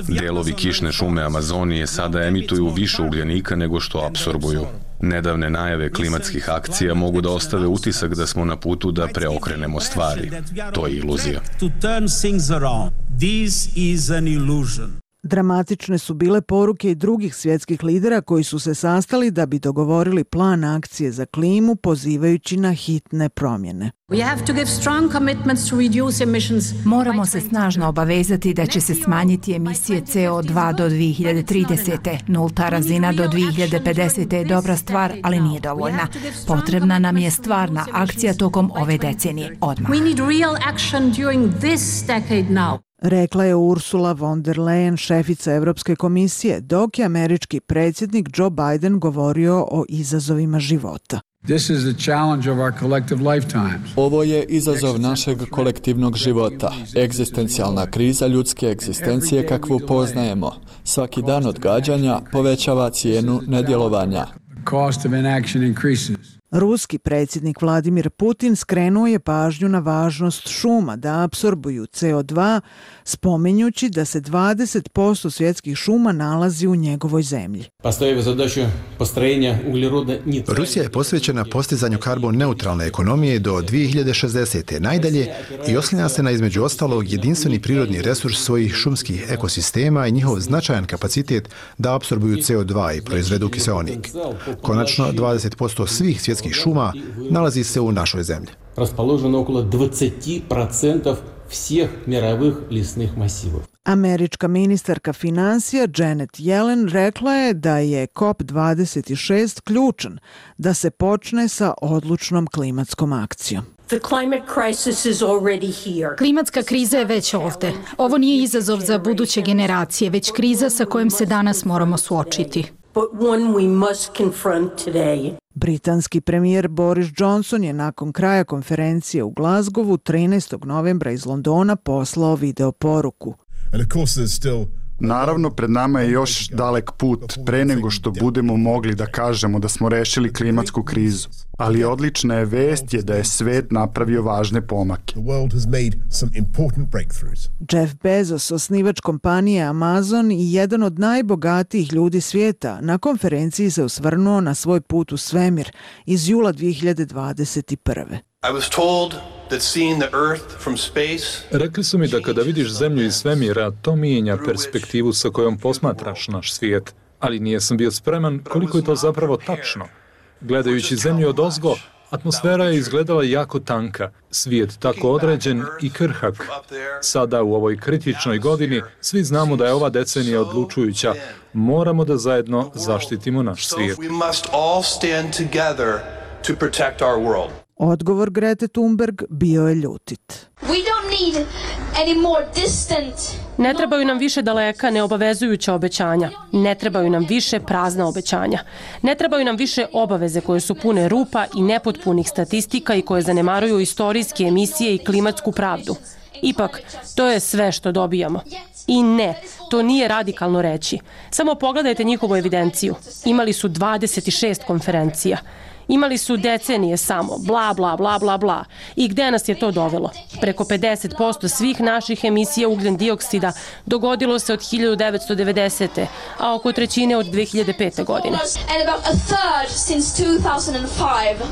Delovi kišne šume Amazonije sada emituju više ugljenika nego što apsorbuju. Nedavne najave klimatskih akcija mogu da ostave utisak da smo na putu da preokrenemo stvari. To je iluzija. Dramatične su bile poruke i drugih svjetskih lidera koji su se sastali da bi dogovorili plan akcije za klimu, pozivajući na hitne promjene. Moramo se snažno obavezati da će se smanjiti emisije C O dva do dvije hiljade tridesete. Nulta razina do dvije hiljade pedesete. je dobra stvar, ali nije dovoljna. Potrebna nam je stvarna akcija tokom ove decenije, odmah. Rekla je Ursula von der Leyen, šefica Evropske komisije, dok je američki predsjednik Joe Biden govorio o izazovima života. Ovo je izazov našeg kolektivnog života, egzistencijalna kriza ljudske egzistencije kakvu poznajemo. Svaki dan odgađanja povećava cijenu nedjelovanja. Ruski predsjednik Vladimir Putin skrenuo je pažnju na važnost šuma da apsorbuju C O dva, spominjući da se dvadeset posto svjetskih šuma nalazi u njegovoj zemlji. Rusija je posvećena postizanju karbon neutralne ekonomije do dvije hiljade šezdesete. najdalje i oslanja se na između ostalog jedinstveni prirodni resurs svojih šumskih ekosistema i njihov značajan kapacitet da apsorbuju C O dva i proizvedu kiseonik. Konačno, dvadeset posto svih svjetskih šuma nalazi se u našoj zemlji. Расположено около двадцать процентов всех мировых лесных массивов. Američka ministarka financija Janet Yellen rekla je da je kop dvadeset šest ključan da se počne sa odlučnom klimatskom akcijom. Klimatska kriza je već ovde. Ovo nije izazov za buduće generacije, već kriza sa kojom se danas moramo suočiti. Britanski premijer Boris Johnson je nakon kraja konferencije u Glazgovu trinaestog novembra iz Londona poslao video poruku. Naravno, pred nama je još dalek put pre nego što budemo mogli da kažemo da smo rešili klimatsku krizu. Ali odlična je vest je da je svet napravio važne pomake. Jeff Bezos, osnivač kompanije Amazon i jedan od najbogatijih ljudi svijeta, na konferenciji se osvrnuo na svoj put u svemir iz jula dvije hiljade dvadeset prve. I was told that seeing the earth from space... Rekli su mi da kada vidiš zemlju iz svemira, to mijenja perspektivu sa kojom posmatraš naš svijet, ali nisam bio spreman koliko je to zapravo tačno. Gledajući zemlju odozgo, atmosfera je izgledala jako tanka, svijet tako određen i krhak. Sada u ovoj kritičnoj godini svi znamo da je ova decenija odlučujuća. Moramo da zajedno zaštitimo naš svijet. Odgovor Grete Thunberg bio je ljutit. Ne trebaju nam više daleka neobavezujuća obećanja. Ne trebaju nam više prazna obećanja. Ne trebaju nam više obaveze koje su pune rupa i nepotpunih statistika i koje zanemaruju istorijske emisije i klimatsku pravdu. Ipak, to je sve što dobijamo. I ne, to nije radikalno reći. Samo pogledajte njihovu evidenciju. Imali su dvadeset šest konferencija. Imali su decenije samo, bla, bla, bla, bla, bla. I gde nas je to dovelo? Preko pedeset posto svih naših emisija ugljen dioksida dogodilo se od hiljadu devetsto devedesete. a oko trećine od dve hiljade pete. godine. And about a third since two thousand five.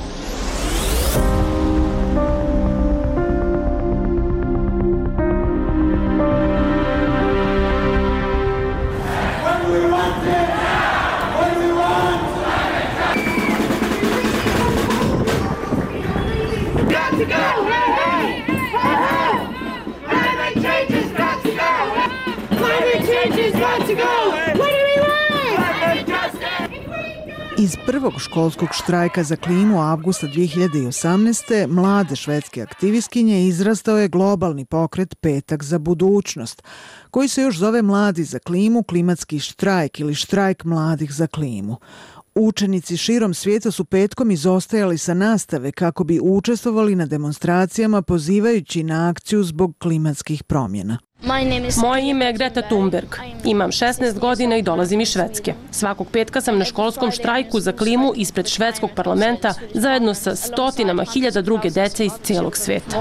Iz prvog školskog štrajka za klimu avgusta dve hiljade osamnaeste. mlade švedske aktivistkinje izrastao je globalni pokret Petak za budućnost, koji se još zove Mladi za klimu, klimatski štrajk ili štrajk mladih za klimu. Učenici širom svijeta su petkom izostajali sa nastave kako bi učestvovali na demonstracijama pozivajući na akciju zbog klimatskih promjena. Moje ime je Greta Thunberg. Imam šesnaest godina i dolazim iz Švedske. Svakog petka sam na školskom štrajku za klimu ispred švedskog parlamenta zajedno sa stotinama hiljada druge dece iz cijelog sveta.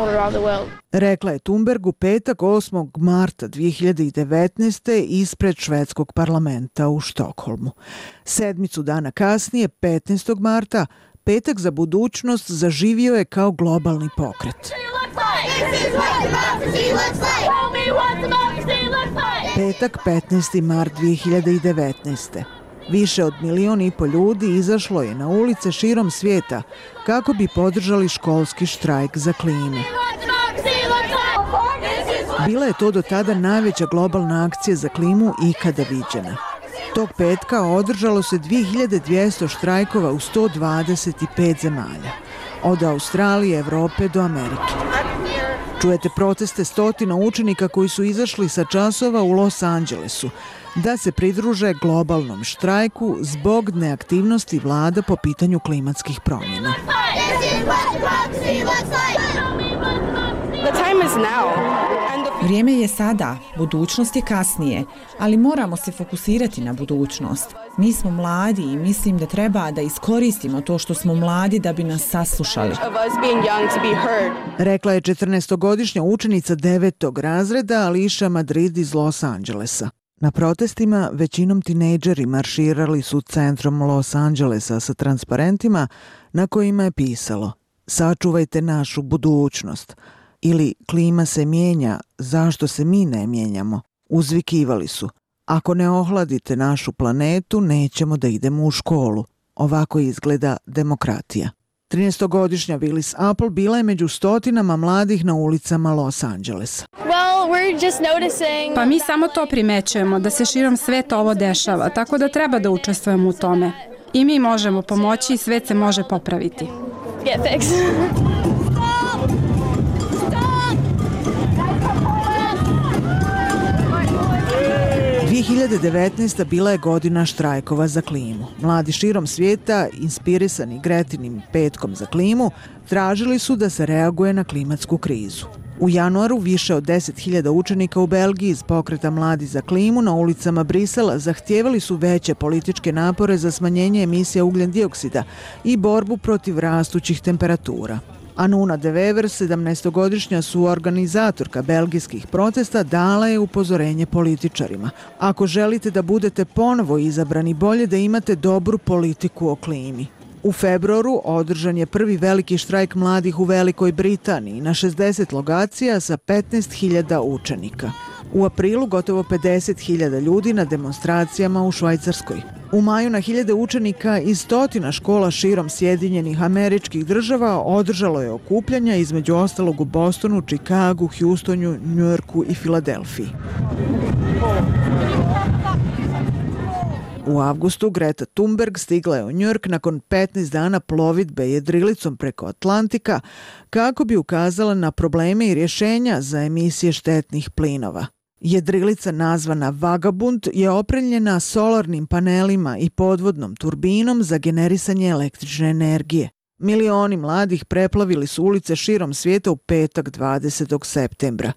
Rekla je Thunberg u petak osmog marta dve hiljade devetnaeste. ispred švedskog parlamenta u Štokholmu. Sedmicu dana kasnije, petnaestog marta, Petak za budućnost zaživio je kao globalni pokret. Petak, petnaesti mart dve hiljade devetnaeste. Više od milion i po ljudi izašlo je na ulice širom svijeta kako bi podržali školski štrajk za klimu. Bila je to do tada najveća globalna akcija za klimu ikada viđena. Tog petka održalo se dve hiljade dvjesto štrajkova u sto dvadeset pet zemalja, od Australije, Evrope do Amerike. Čujete proteste stotina učenika koji su izašli sa časova u Los Angelesu da se pridruže globalnom štrajku zbog neaktivnosti vlada po pitanju klimatskih promjena. Vrijeme je sada, budućnost je kasnije, ali moramo se fokusirati na budućnost. Mi smo mladi i mislim da treba da iskoristimo to što smo mladi da bi nas saslušali. Rekla je četrnaestogodišnja učenica devetog razreda Ališa Madrid iz Los Angelesa. Na protestima većinom tinejdžeri marširali su centrom Los Angelesa sa transparentima na kojima je pisalo "Sačuvajte našu budućnost" ili "Klima se mijenja, zašto se mi ne mijenjamo?" Uzvikivali su: "Ako ne ohladite našu planetu, nećemo da idemo u školu." Ovako izgleda demokratija. trinaestogodišnja Willis Apple bila je među stotinama mladih na ulicama Los Angelesa. Pa mi samo to primećujemo, da se širom sveta ovo dešava, tako da treba da učestvujemo u tome. I mi možemo pomoći i svet se može popraviti. dve hiljade devetnaesta. bila je godina štrajkova za klimu. Mladi širom svijeta, inspirisani Gretinim petkom za klimu, tražili su da se reaguje na klimatsku krizu. U januaru više od deset hiljada učenika u Belgiji iz pokreta Mladi za klimu na ulicama Brisela zahtijevali su veće političke napore za smanjenje emisija ugljen dioksida i borbu protiv rastućih temperatura. Anuna de Wever, sedamnaestogodišnja suorganizatorka belgijskih protesta, dala je upozorenje političarima. Ako želite da budete ponovo izabrani, bolje da imate dobru politiku o klimi. U februaru održan je prvi veliki štrajk mladih u Velikoj Britaniji na šezdeset lokacija sa petnaest hiljada učenika. U aprilu gotovo pedeset hiljada ljudi na demonstracijama u Švajcarskoj. U maju na hiljade učenika iz stotina škola širom Sjedinjenih Američkih Država održalo je okupljanja, između ostalog u Bostonu, Čikagu, Houstonu, Njujorku i Filadelfiji. U avgustu Greta Thunberg stigla je u Njujork nakon petnaest dana plovidbe jedrilicom preko Atlantika kako bi ukazala na probleme i rješenja za emisije štetnih plinova. Jedrilica nazvana Vagabund je opremljena solarnim panelima i podvodnom turbinom za generisanje električne energije. Milioni mladih preplavili su ulice širom svijeta u petak dvadesetog septembra.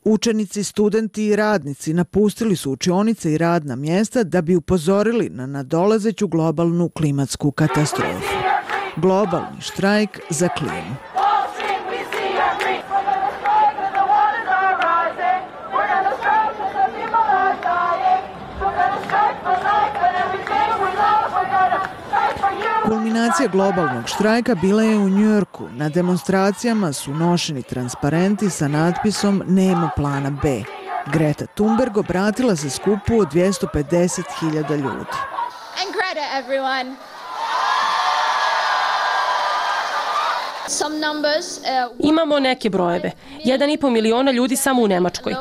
Učenici, studenti i radnici napustili su učionice i radna mjesta da bi upozorili na nadolazeću globalnu klimatsku katastrofu. Globalni štrajk za klimu. Kulminacija globalnog štrajka bila je u Njujorku. Na demonstracijama su nošeni transparenti sa natpisom "Nema plana B". Greta Thunberg obratila se skupu od dvjesto pedeset hiljada ljudi. And Greta, everyone. Some numbers, uh, Imamo neke brojeve. Jedan i po miliona ljudi samo u Nemačkoj.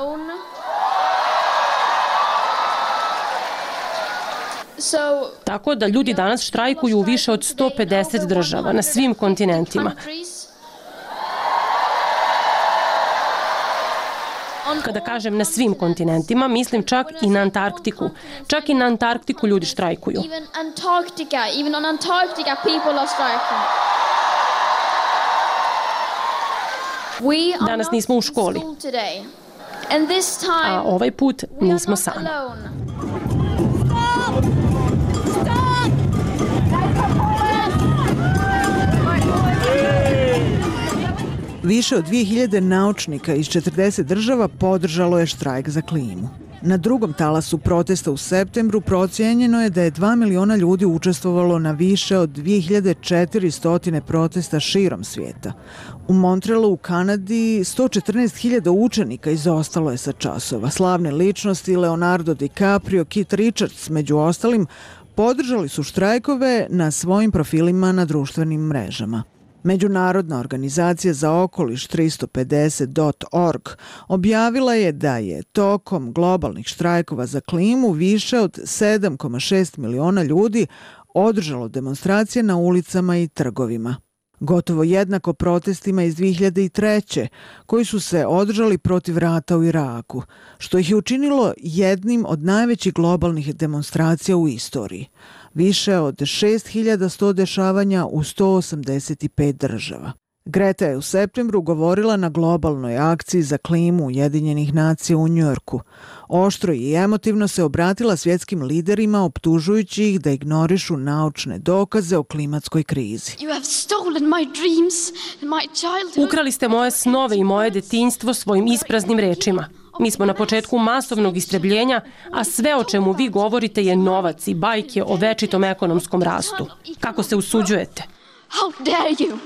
Tako da ljudi danas štrajkuju u više od sto pedeset država na svim kontinentima. Kada kažem na svim kontinentima, mislim čak i na Antarktiku. Čak i na Antarktiku ljudi štrajkuju. even Antarctica, even on Antarctica people are striking. We are Danas nismo u školi, not in school today. And this time, a ovaj put nismo sami. alone. Više od dvije hiljade naučnika iz četrdeset država podržalo je štrajk za klimu. Na drugom talasu protesta u septembru procijenjeno je da je dva miliona ljudi učestvovalo na više od dvije hiljade četiristo protesta širom svijeta. U Montrealu u Kanadi sto četrnaest hiljada učenika izostalo je sa časova. Slavne ličnosti Leonardo DiCaprio, Keith Richards među ostalim podržali su štrajkove na svojim profilima na društvenim mrežama. Međunarodna organizacija za okoliš tristo pedeset dot org objavila je da je tokom globalnih štrajkova za klimu više od sedam zarez šest miliona ljudi održalo demonstracije na ulicama i trgovima. Gotovo jednako protestima iz dvije hiljade treće koji su se održali protiv rata u Iraku, što ih je učinilo jednim od najvećih globalnih demonstracija u istoriji. Više od šest hiljada sto dešavanja u sto osamdeset pet država. Greta je u septembru govorila na globalnoj akciji za klimu Ujedinjenih nacija u Njujorku. Oštro i emotivno se obratila svjetskim liderima optužujući ih da ignorišu naučne dokaze o klimatskoj krizi. You have stolen my dreams and my childhood. Ukrali ste moje snove i moje detinjstvo svojim ispraznim rečima. Mi smo na početku masovnog istrebljenja, a sve o čemu vi govorite je novac i bajke o večitom ekonomskom rastu. Kako se usuđujete? How dare you?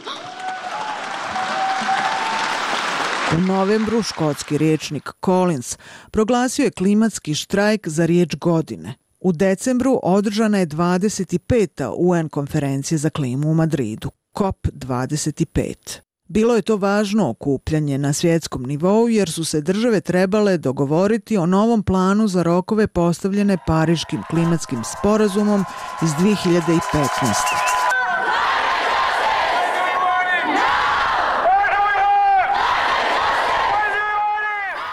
U novembru škotski riječnik Collins proglasio je klimatski štrajk za riječ godine. U decembru održana je dvadeset peta U N konferencija za klimu u Madridu, C O P dvadeset pet. Bilo je to važno okupljanje na svjetskom nivou jer su se države trebale dogovoriti o novom planu za rokove postavljene Pariškim klimatskim sporazumom iz dvije hiljade petnaeste.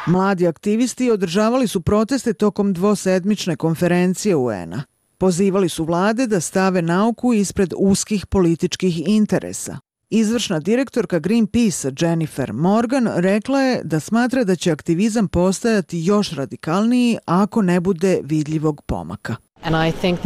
Mladi aktivisti održavali su proteste tokom dvosedmične konferencije U N-a. Pozivali su vlade da stave nauku ispred uskih političkih interesa. Izvršna direktorka Greenpeace Jennifer Morgan rekla je da smatra da će aktivizam postajati još radikalniji ako ne bude vidljivog pomaka.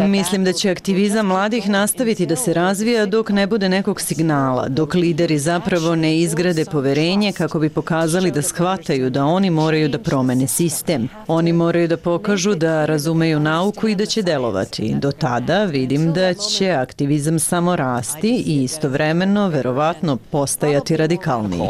Mislim da će aktivizam mladih nastaviti da se razvija dok ne bude nekog signala, dok lideri zapravo ne izgrade poverenje kako bi pokazali da shvataju da oni moraju da promene sistem. Oni moraju da pokažu da razumeju nauku i da će delovati. Do tada vidim da će aktivizam samo rasti i istovremeno verovatno postajati radikalniji.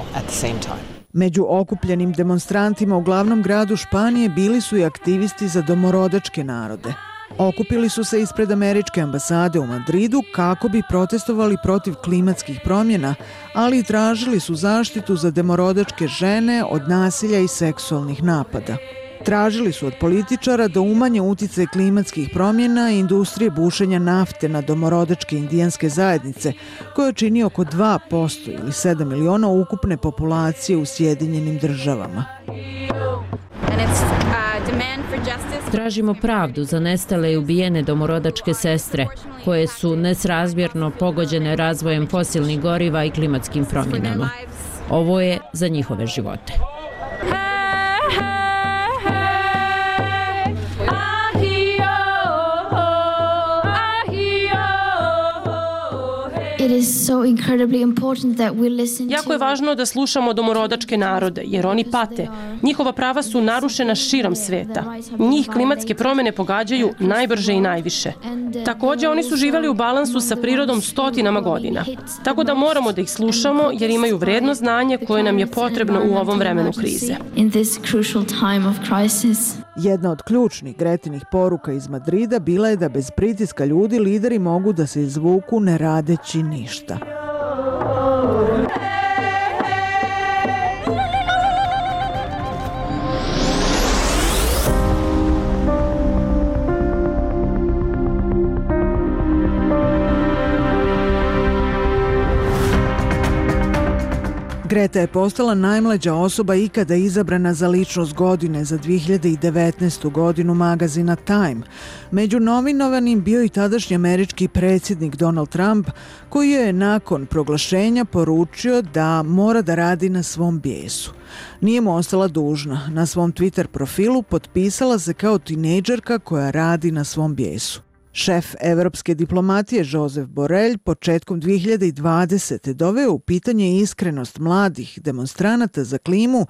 Među okupljenim demonstrantima u glavnom gradu Španije bili su i aktivisti za domorodačke narode. Okupili su se ispred američke ambasade u Madridu kako bi protestovali protiv klimatskih promjena, ali i tražili su zaštitu za domorodačke žene od nasilja i seksualnih napada. Tražili su od političara da umanje uticaj klimatskih promjena i industrije bušenja nafte na domorodačke indijanske zajednice, koje čini oko dva posto ili sedam miliona ukupne populacije u Sjedinjenim državama. Tražimo pravdu za nestale i ubijene domorodačke sestre, koje su nesrazmjerno pogođene razvojem fosilnih goriva i klimatskim promjenama. Ovo je za njihove živote. Jako je važno da slušamo domorodačke narode, jer oni pate. Njihova prava su narušena širom sveta. Njih klimatske promjene pogađaju najbrže i najviše. Također, oni su živjeli u balansu sa prirodom stotinama godina. Tako da moramo da ih slušamo, jer imaju vredno znanje koje nam je potrebno u ovom vremenu krize. Jedna od ključnih Gretinih poruka iz Madrida bila je da bez pritiska ljudi lideri mogu da se izvuku ne radeći ništa. Greta je postala najmlađa osoba ikada izabrana za ličnost godine za dvije hiljade devetnaestu godinu magazina Time. Među nominovanim bio i tadašnji američki predsjednik Donald Trump, koji je nakon proglašenja poručio da mora da radi na svom bijesu. Nije mu ostala dužna. Na svom Twitter profilu potpisala se kao tinejdžerka koja radi na svom bijesu. Šef evropske diplomatije Josep Borrell početkom dvije hiljade dvadesete doveo u pitanje iskrenost mladih demonstranata za klimu,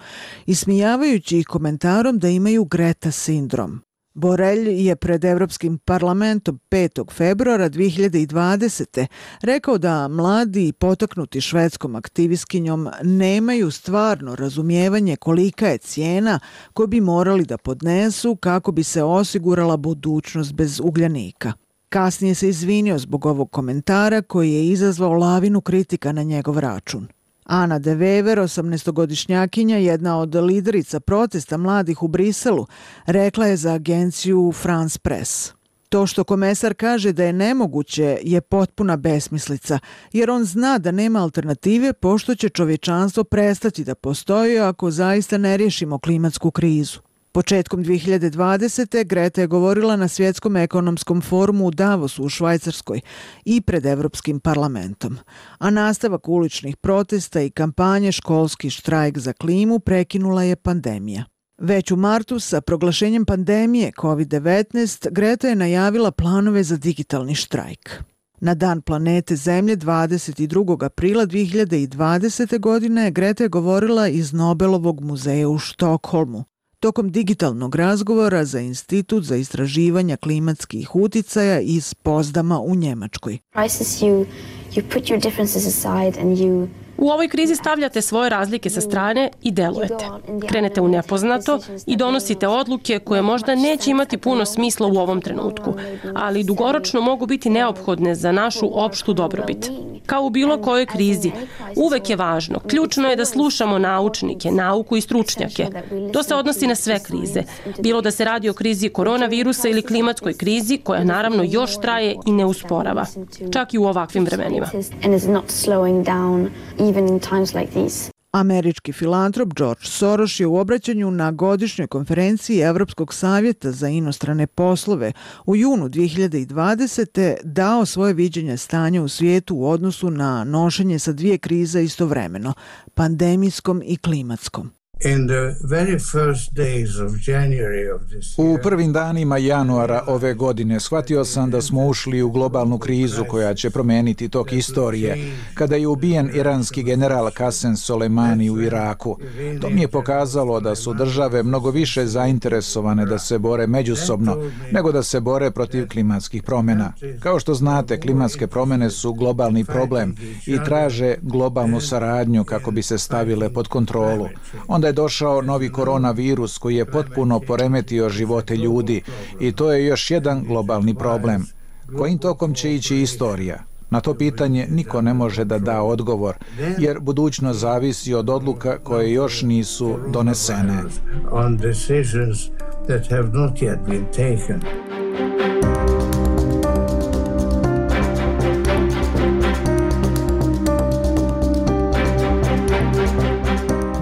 ismijavajući ih komentarom da imaju Greta sindrom. Borrell je pred Evropskim parlamentom petog februara dvije hiljade dvadesete rekao da mladi potaknuti švedskom aktivistkinjom nemaju stvarno razumijevanje kolika je cijena koju bi morali da podnesu kako bi se osigurala budućnost bez ugljanika. Kasnije se izvinio zbog ovog komentara koji je izazvao lavinu kritika na njegov račun. Ana de Wever, osamnaestogodišnjakinja, jedna od liderica protesta mladih u Briselu, rekla je za agenciju France Press. To što komesar kaže da je nemoguće je potpuna besmislica, jer on zna da nema alternative pošto će čovječanstvo prestati da postoji ako zaista ne riješimo klimatsku krizu. Početkom dvije hiljade dvadesete. Greta je govorila na Svjetskom ekonomskom forumu u Davosu u Švajcarskoj i pred Evropskim parlamentom. A nastavak uličnih protesta i kampanje Školski štrajk za klimu prekinula je pandemija. Već u martu sa proglašenjem pandemije kovid devetnaest Greta je najavila planove za digitalni štrajk. Na Dan planete Zemlje dvadeset drugog aprila dvije hiljade dvadesete. godine Greta je govorila iz Nobelovog muzeja u Štokholmu. Tokom digitalnog razgovora za Institut za istraživanja klimatskih uticaja iz Pozdama u Njemačkoj. U ovoj krizi stavljate svoje razlike sa strane i delujete. Krenete u nepoznato i donosite odluke koje možda neće imati puno smisla u ovom trenutku, ali dugoročno mogu biti neophodne za našu opštu dobrobit. Kao u bilo kojoj krizi, uvek je važno, ključno je da slušamo naučnike, nauku i stručnjake. To se odnosi na sve krize, bilo da se radi o krizi koronavirusa ili klimatskoj krizi, koja naravno još traje i ne usporava, čak i u ovakvim vremenima. Američki filantrop George Soros je u obraćanju na godišnjoj konferenciji Evropskog savjeta za inostrane poslove u junu dvije hiljade dvadesete. dao svoje viđenje stanja u svijetu u odnosu na nošenje sa dvije krize istovremeno, pandemijskom i klimatskom. U prvim danima januara ove godine shvatio sam da smo ušli u globalnu krizu koja će promijeniti tok istorije, kada je ubijen iranski general Qasem Soleimani u Iraku. To mi je pokazalo da su države mnogo više zainteresovane da se bore međusobno nego da se bore protiv klimatskih promjena. Kao što znate, klimatske promjene su globalni problem i traže globalnu saradnju kako bi se stavile pod kontrolu. Onda je došao novi koronavirus koji je potpuno poremetio živote ljudi i to je još jedan globalni problem. Kojim tokom će ići istorija? Na to pitanje niko ne može da da odgovor, jer budućnost zavisi od odluka koje još nisu donesene.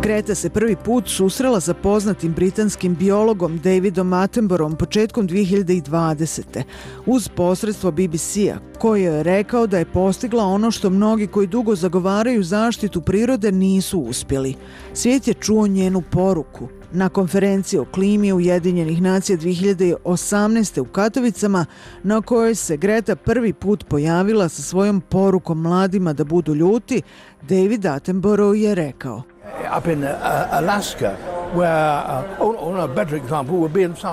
Greta se prvi put susrela sa poznatim britanskim biologom Davidom Attenboroughom početkom dvije hiljade dvadesete. uz posredstvo B B C-a, koji je rekao da je postigla ono što mnogi koji dugo zagovaraju zaštitu prirode nisu uspjeli. Svijet je čuo njenu poruku. Na konferenciji o klimi Ujedinjenih nacija dvije hiljade osamnaeste. u Katovicama, na kojoj se Greta prvi put pojavila sa svojom porukom mladima da budu ljuti, David Attenborough je rekao: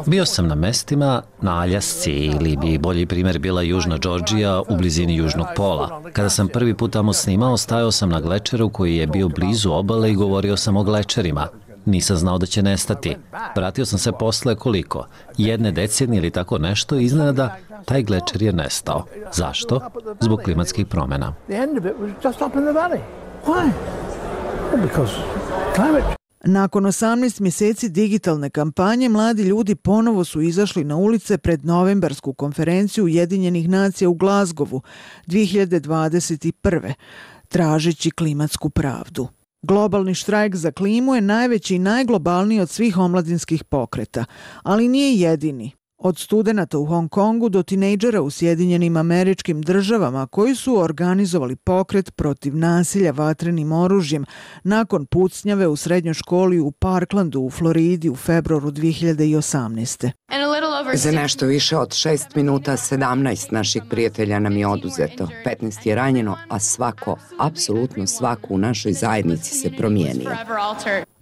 Bio sam na mestima na Aljasci ili bi bolji primjer bila Južna Džordžija u blizini Južnog pola. Kada sam prvi put tamo snimao, stajao sam na glečeru koji je bio blizu obale i govorio sam o glečerima. Nisam znao da će nestati. Vratio sam se posle koliko? Jedne decenije ili tako nešto i iznenada taj glečer je nestao. Zašto? Zbog klimatskih promjena. Nakon osamnaest mjeseci digitalne kampanje, mladi ljudi ponovo su izašli na ulice pred novembarsku konferenciju Ujedinjenih nacija u Glazgovu dvije hiljade dvadeset prve. tražeći klimatsku pravdu. Globalni štrajk za klimu je najveći i najglobalniji od svih omladinskih pokreta, ali nije jedini. Od studenata u Hong Kongu do tinejdžera u Sjedinjenim Američkim Državama koji su organizovali pokret protiv nasilja vatrenim oružjem nakon pucnjave u srednjoj školi u Parklandu u Floridi u februaru dvije hiljade osamnaeste. Za nešto više od šest minuta sedamnaest naših prijatelja nam je oduzeto, petnaest je ranjeno, a svako, apsolutno svako u našoj zajednici se promijenio.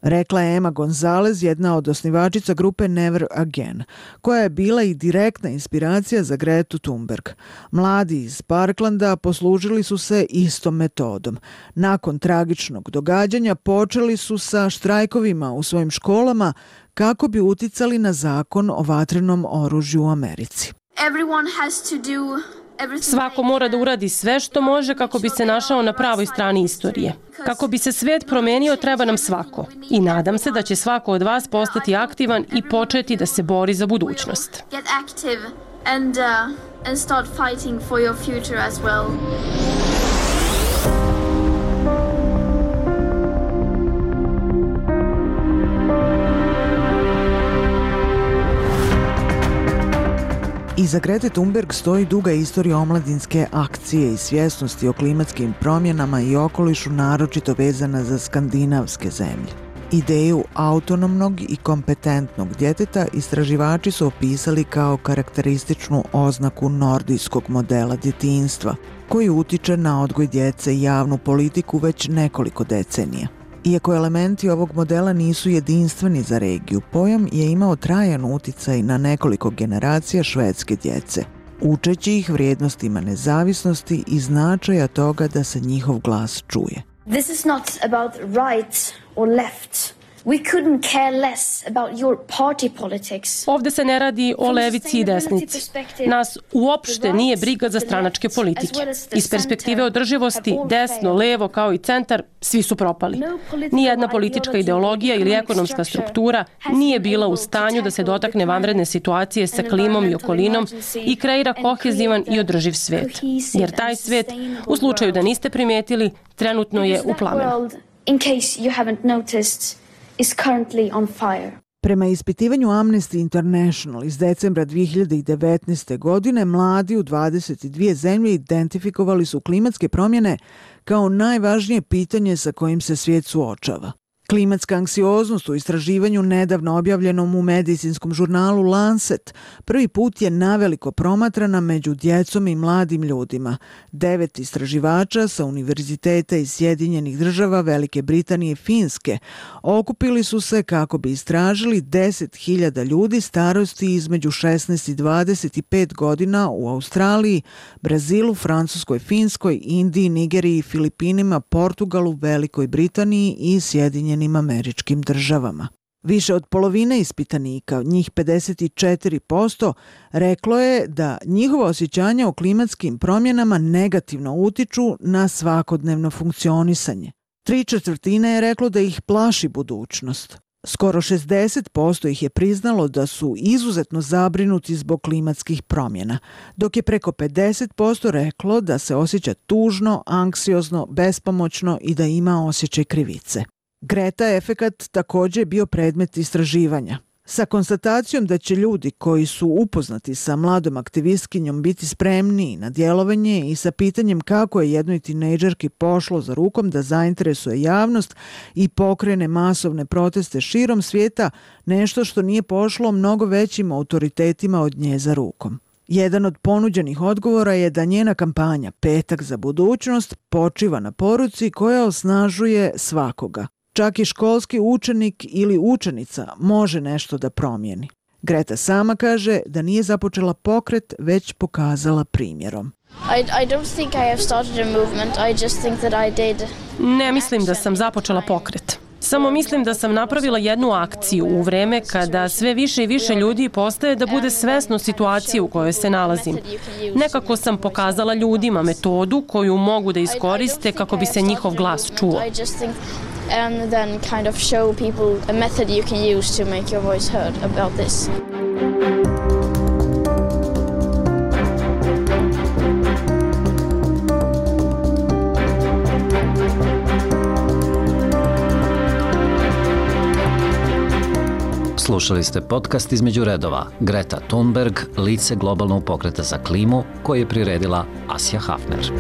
Rekla je Emma Gonzalez, jedna od osnivačica grupe Never Again, koja je bila i direktna inspiracija za Gretu Thunberg. Mladi iz Parklanda poslužili su se istom metodom. Nakon tragičnog događanja počeli su sa štrajkovima u svojim školama kako bi uticali na zakon o vatrenom oružju u Americi. Svako mora da uradi sve što može kako bi se našao na pravoj strani istorije. Kako bi se svet promenio, treba nam svako. I nadam se da će svako od vas postati aktivan i početi da se bori za budućnost. Iza Grete Thunberg stoji duga istorija omladinske akcije i svjesnosti o klimatskim promjenama i okolišu, naročito vezana za skandinavske zemlje. Ideju autonomnog i kompetentnog djeteta istraživači su opisali kao karakterističnu oznaku nordijskog modela djetinjstva, koji utiče na odgoj djece i javnu politiku već nekoliko decenija. Iako elementi ovog modela nisu jedinstveni za regiju, pojam je imao trajan uticaj na nekoliko generacija švedske djece, učeći ih vrijednostima nezavisnosti i značaja toga da se njihov glas čuje. This is not about right or left. We couldn't care less about your party politics. Ovde se ne radi o levici i desnici. Nas uopšte nije briga za stranačke politike. Iz perspektive održivosti, desno, levo kao i centar, svi su propali. Nijedna politička ideologija ili ekonomska struktura nije bila u stanju da se dotakne vanredne situacije sa klimom i okolinom i kreira kohezivan i održiv svet. Jer taj svet, u slučaju da niste primetili, trenutno je u plamenu. In case you haven't noticed, is currently on fire. Prema ispitivanju Amnesty International iz decembra dvije hiljade devetnaeste. godine, mladi u dvadeset dvije zemlje identifikovali su klimatske promjene kao najvažnije pitanje sa kojim se svijet suočava. Klimatska anksioznost u istraživanju nedavno objavljenom u medicinskom žurnalu Lancet prvi put je naveliko promatrana među djecom i mladim ljudima. Devet istraživača sa univerziteta iz Sjedinjenih Država, Velike Britanije i Finske okupili su se kako bi istražili deset hiljada ljudi starosti između šesnaest i dvadeset pet godina u Australiji, Brazilu, Francuskoj, Finskoj, Indiji, Nigeriji, Filipinima, Portugalu, Velikoj Britaniji i Sjedinjenim Američkim Državama. Više od polovine ispitanika, njih pedeset četiri posto, reklo je da njihova osjećanja o klimatskim promjenama negativno utiču na svakodnevno funkcionisanje. Tri četvrtine je reklo da ih plaši budućnost. Skoro šezdeset posto ih je priznalo da su izuzetno zabrinuti zbog klimatskih promjena, dok je preko pedeset posto reklo da se osjeća tužno, anksiozno, bespomoćno i da ima osjećaj krivice. Greta efekat također je bio predmet istraživanja. Sa konstatacijom da će ljudi koji su upoznati sa mladom aktivistkinjom biti spremniji na djelovanje i sa pitanjem kako je jednoj tinejdžerki pošlo za rukom da zainteresuje javnost i pokrene masovne proteste širom svijeta, nešto što nije pošlo mnogo većim autoritetima od nje za rukom. Jedan od ponuđenih odgovora je da njena kampanja Petak za budućnost počiva na poruci koja osnažuje svakoga. Čak i školski učenik ili učenica može nešto da promijeni. Greta sama kaže da nije započela pokret, već pokazala primjerom. I, I don't think I have started a movement, I just think that I did. Ne mislim da sam započela pokret. Samo mislim da sam napravila jednu akciju u vreme kada sve više i više ljudi postaje da bude svesno situacije u kojoj se nalazim. Nekako sam pokazala ljudima metodu koju mogu da iskoriste kako bi se njihov glas čuo. And then kind of show people a method you can use to make your voice heard about this. Slušali ste podcast Između redova. Greta Thunberg, lice globalnog pokreta za klimu, koji je priredila Asja Hafner.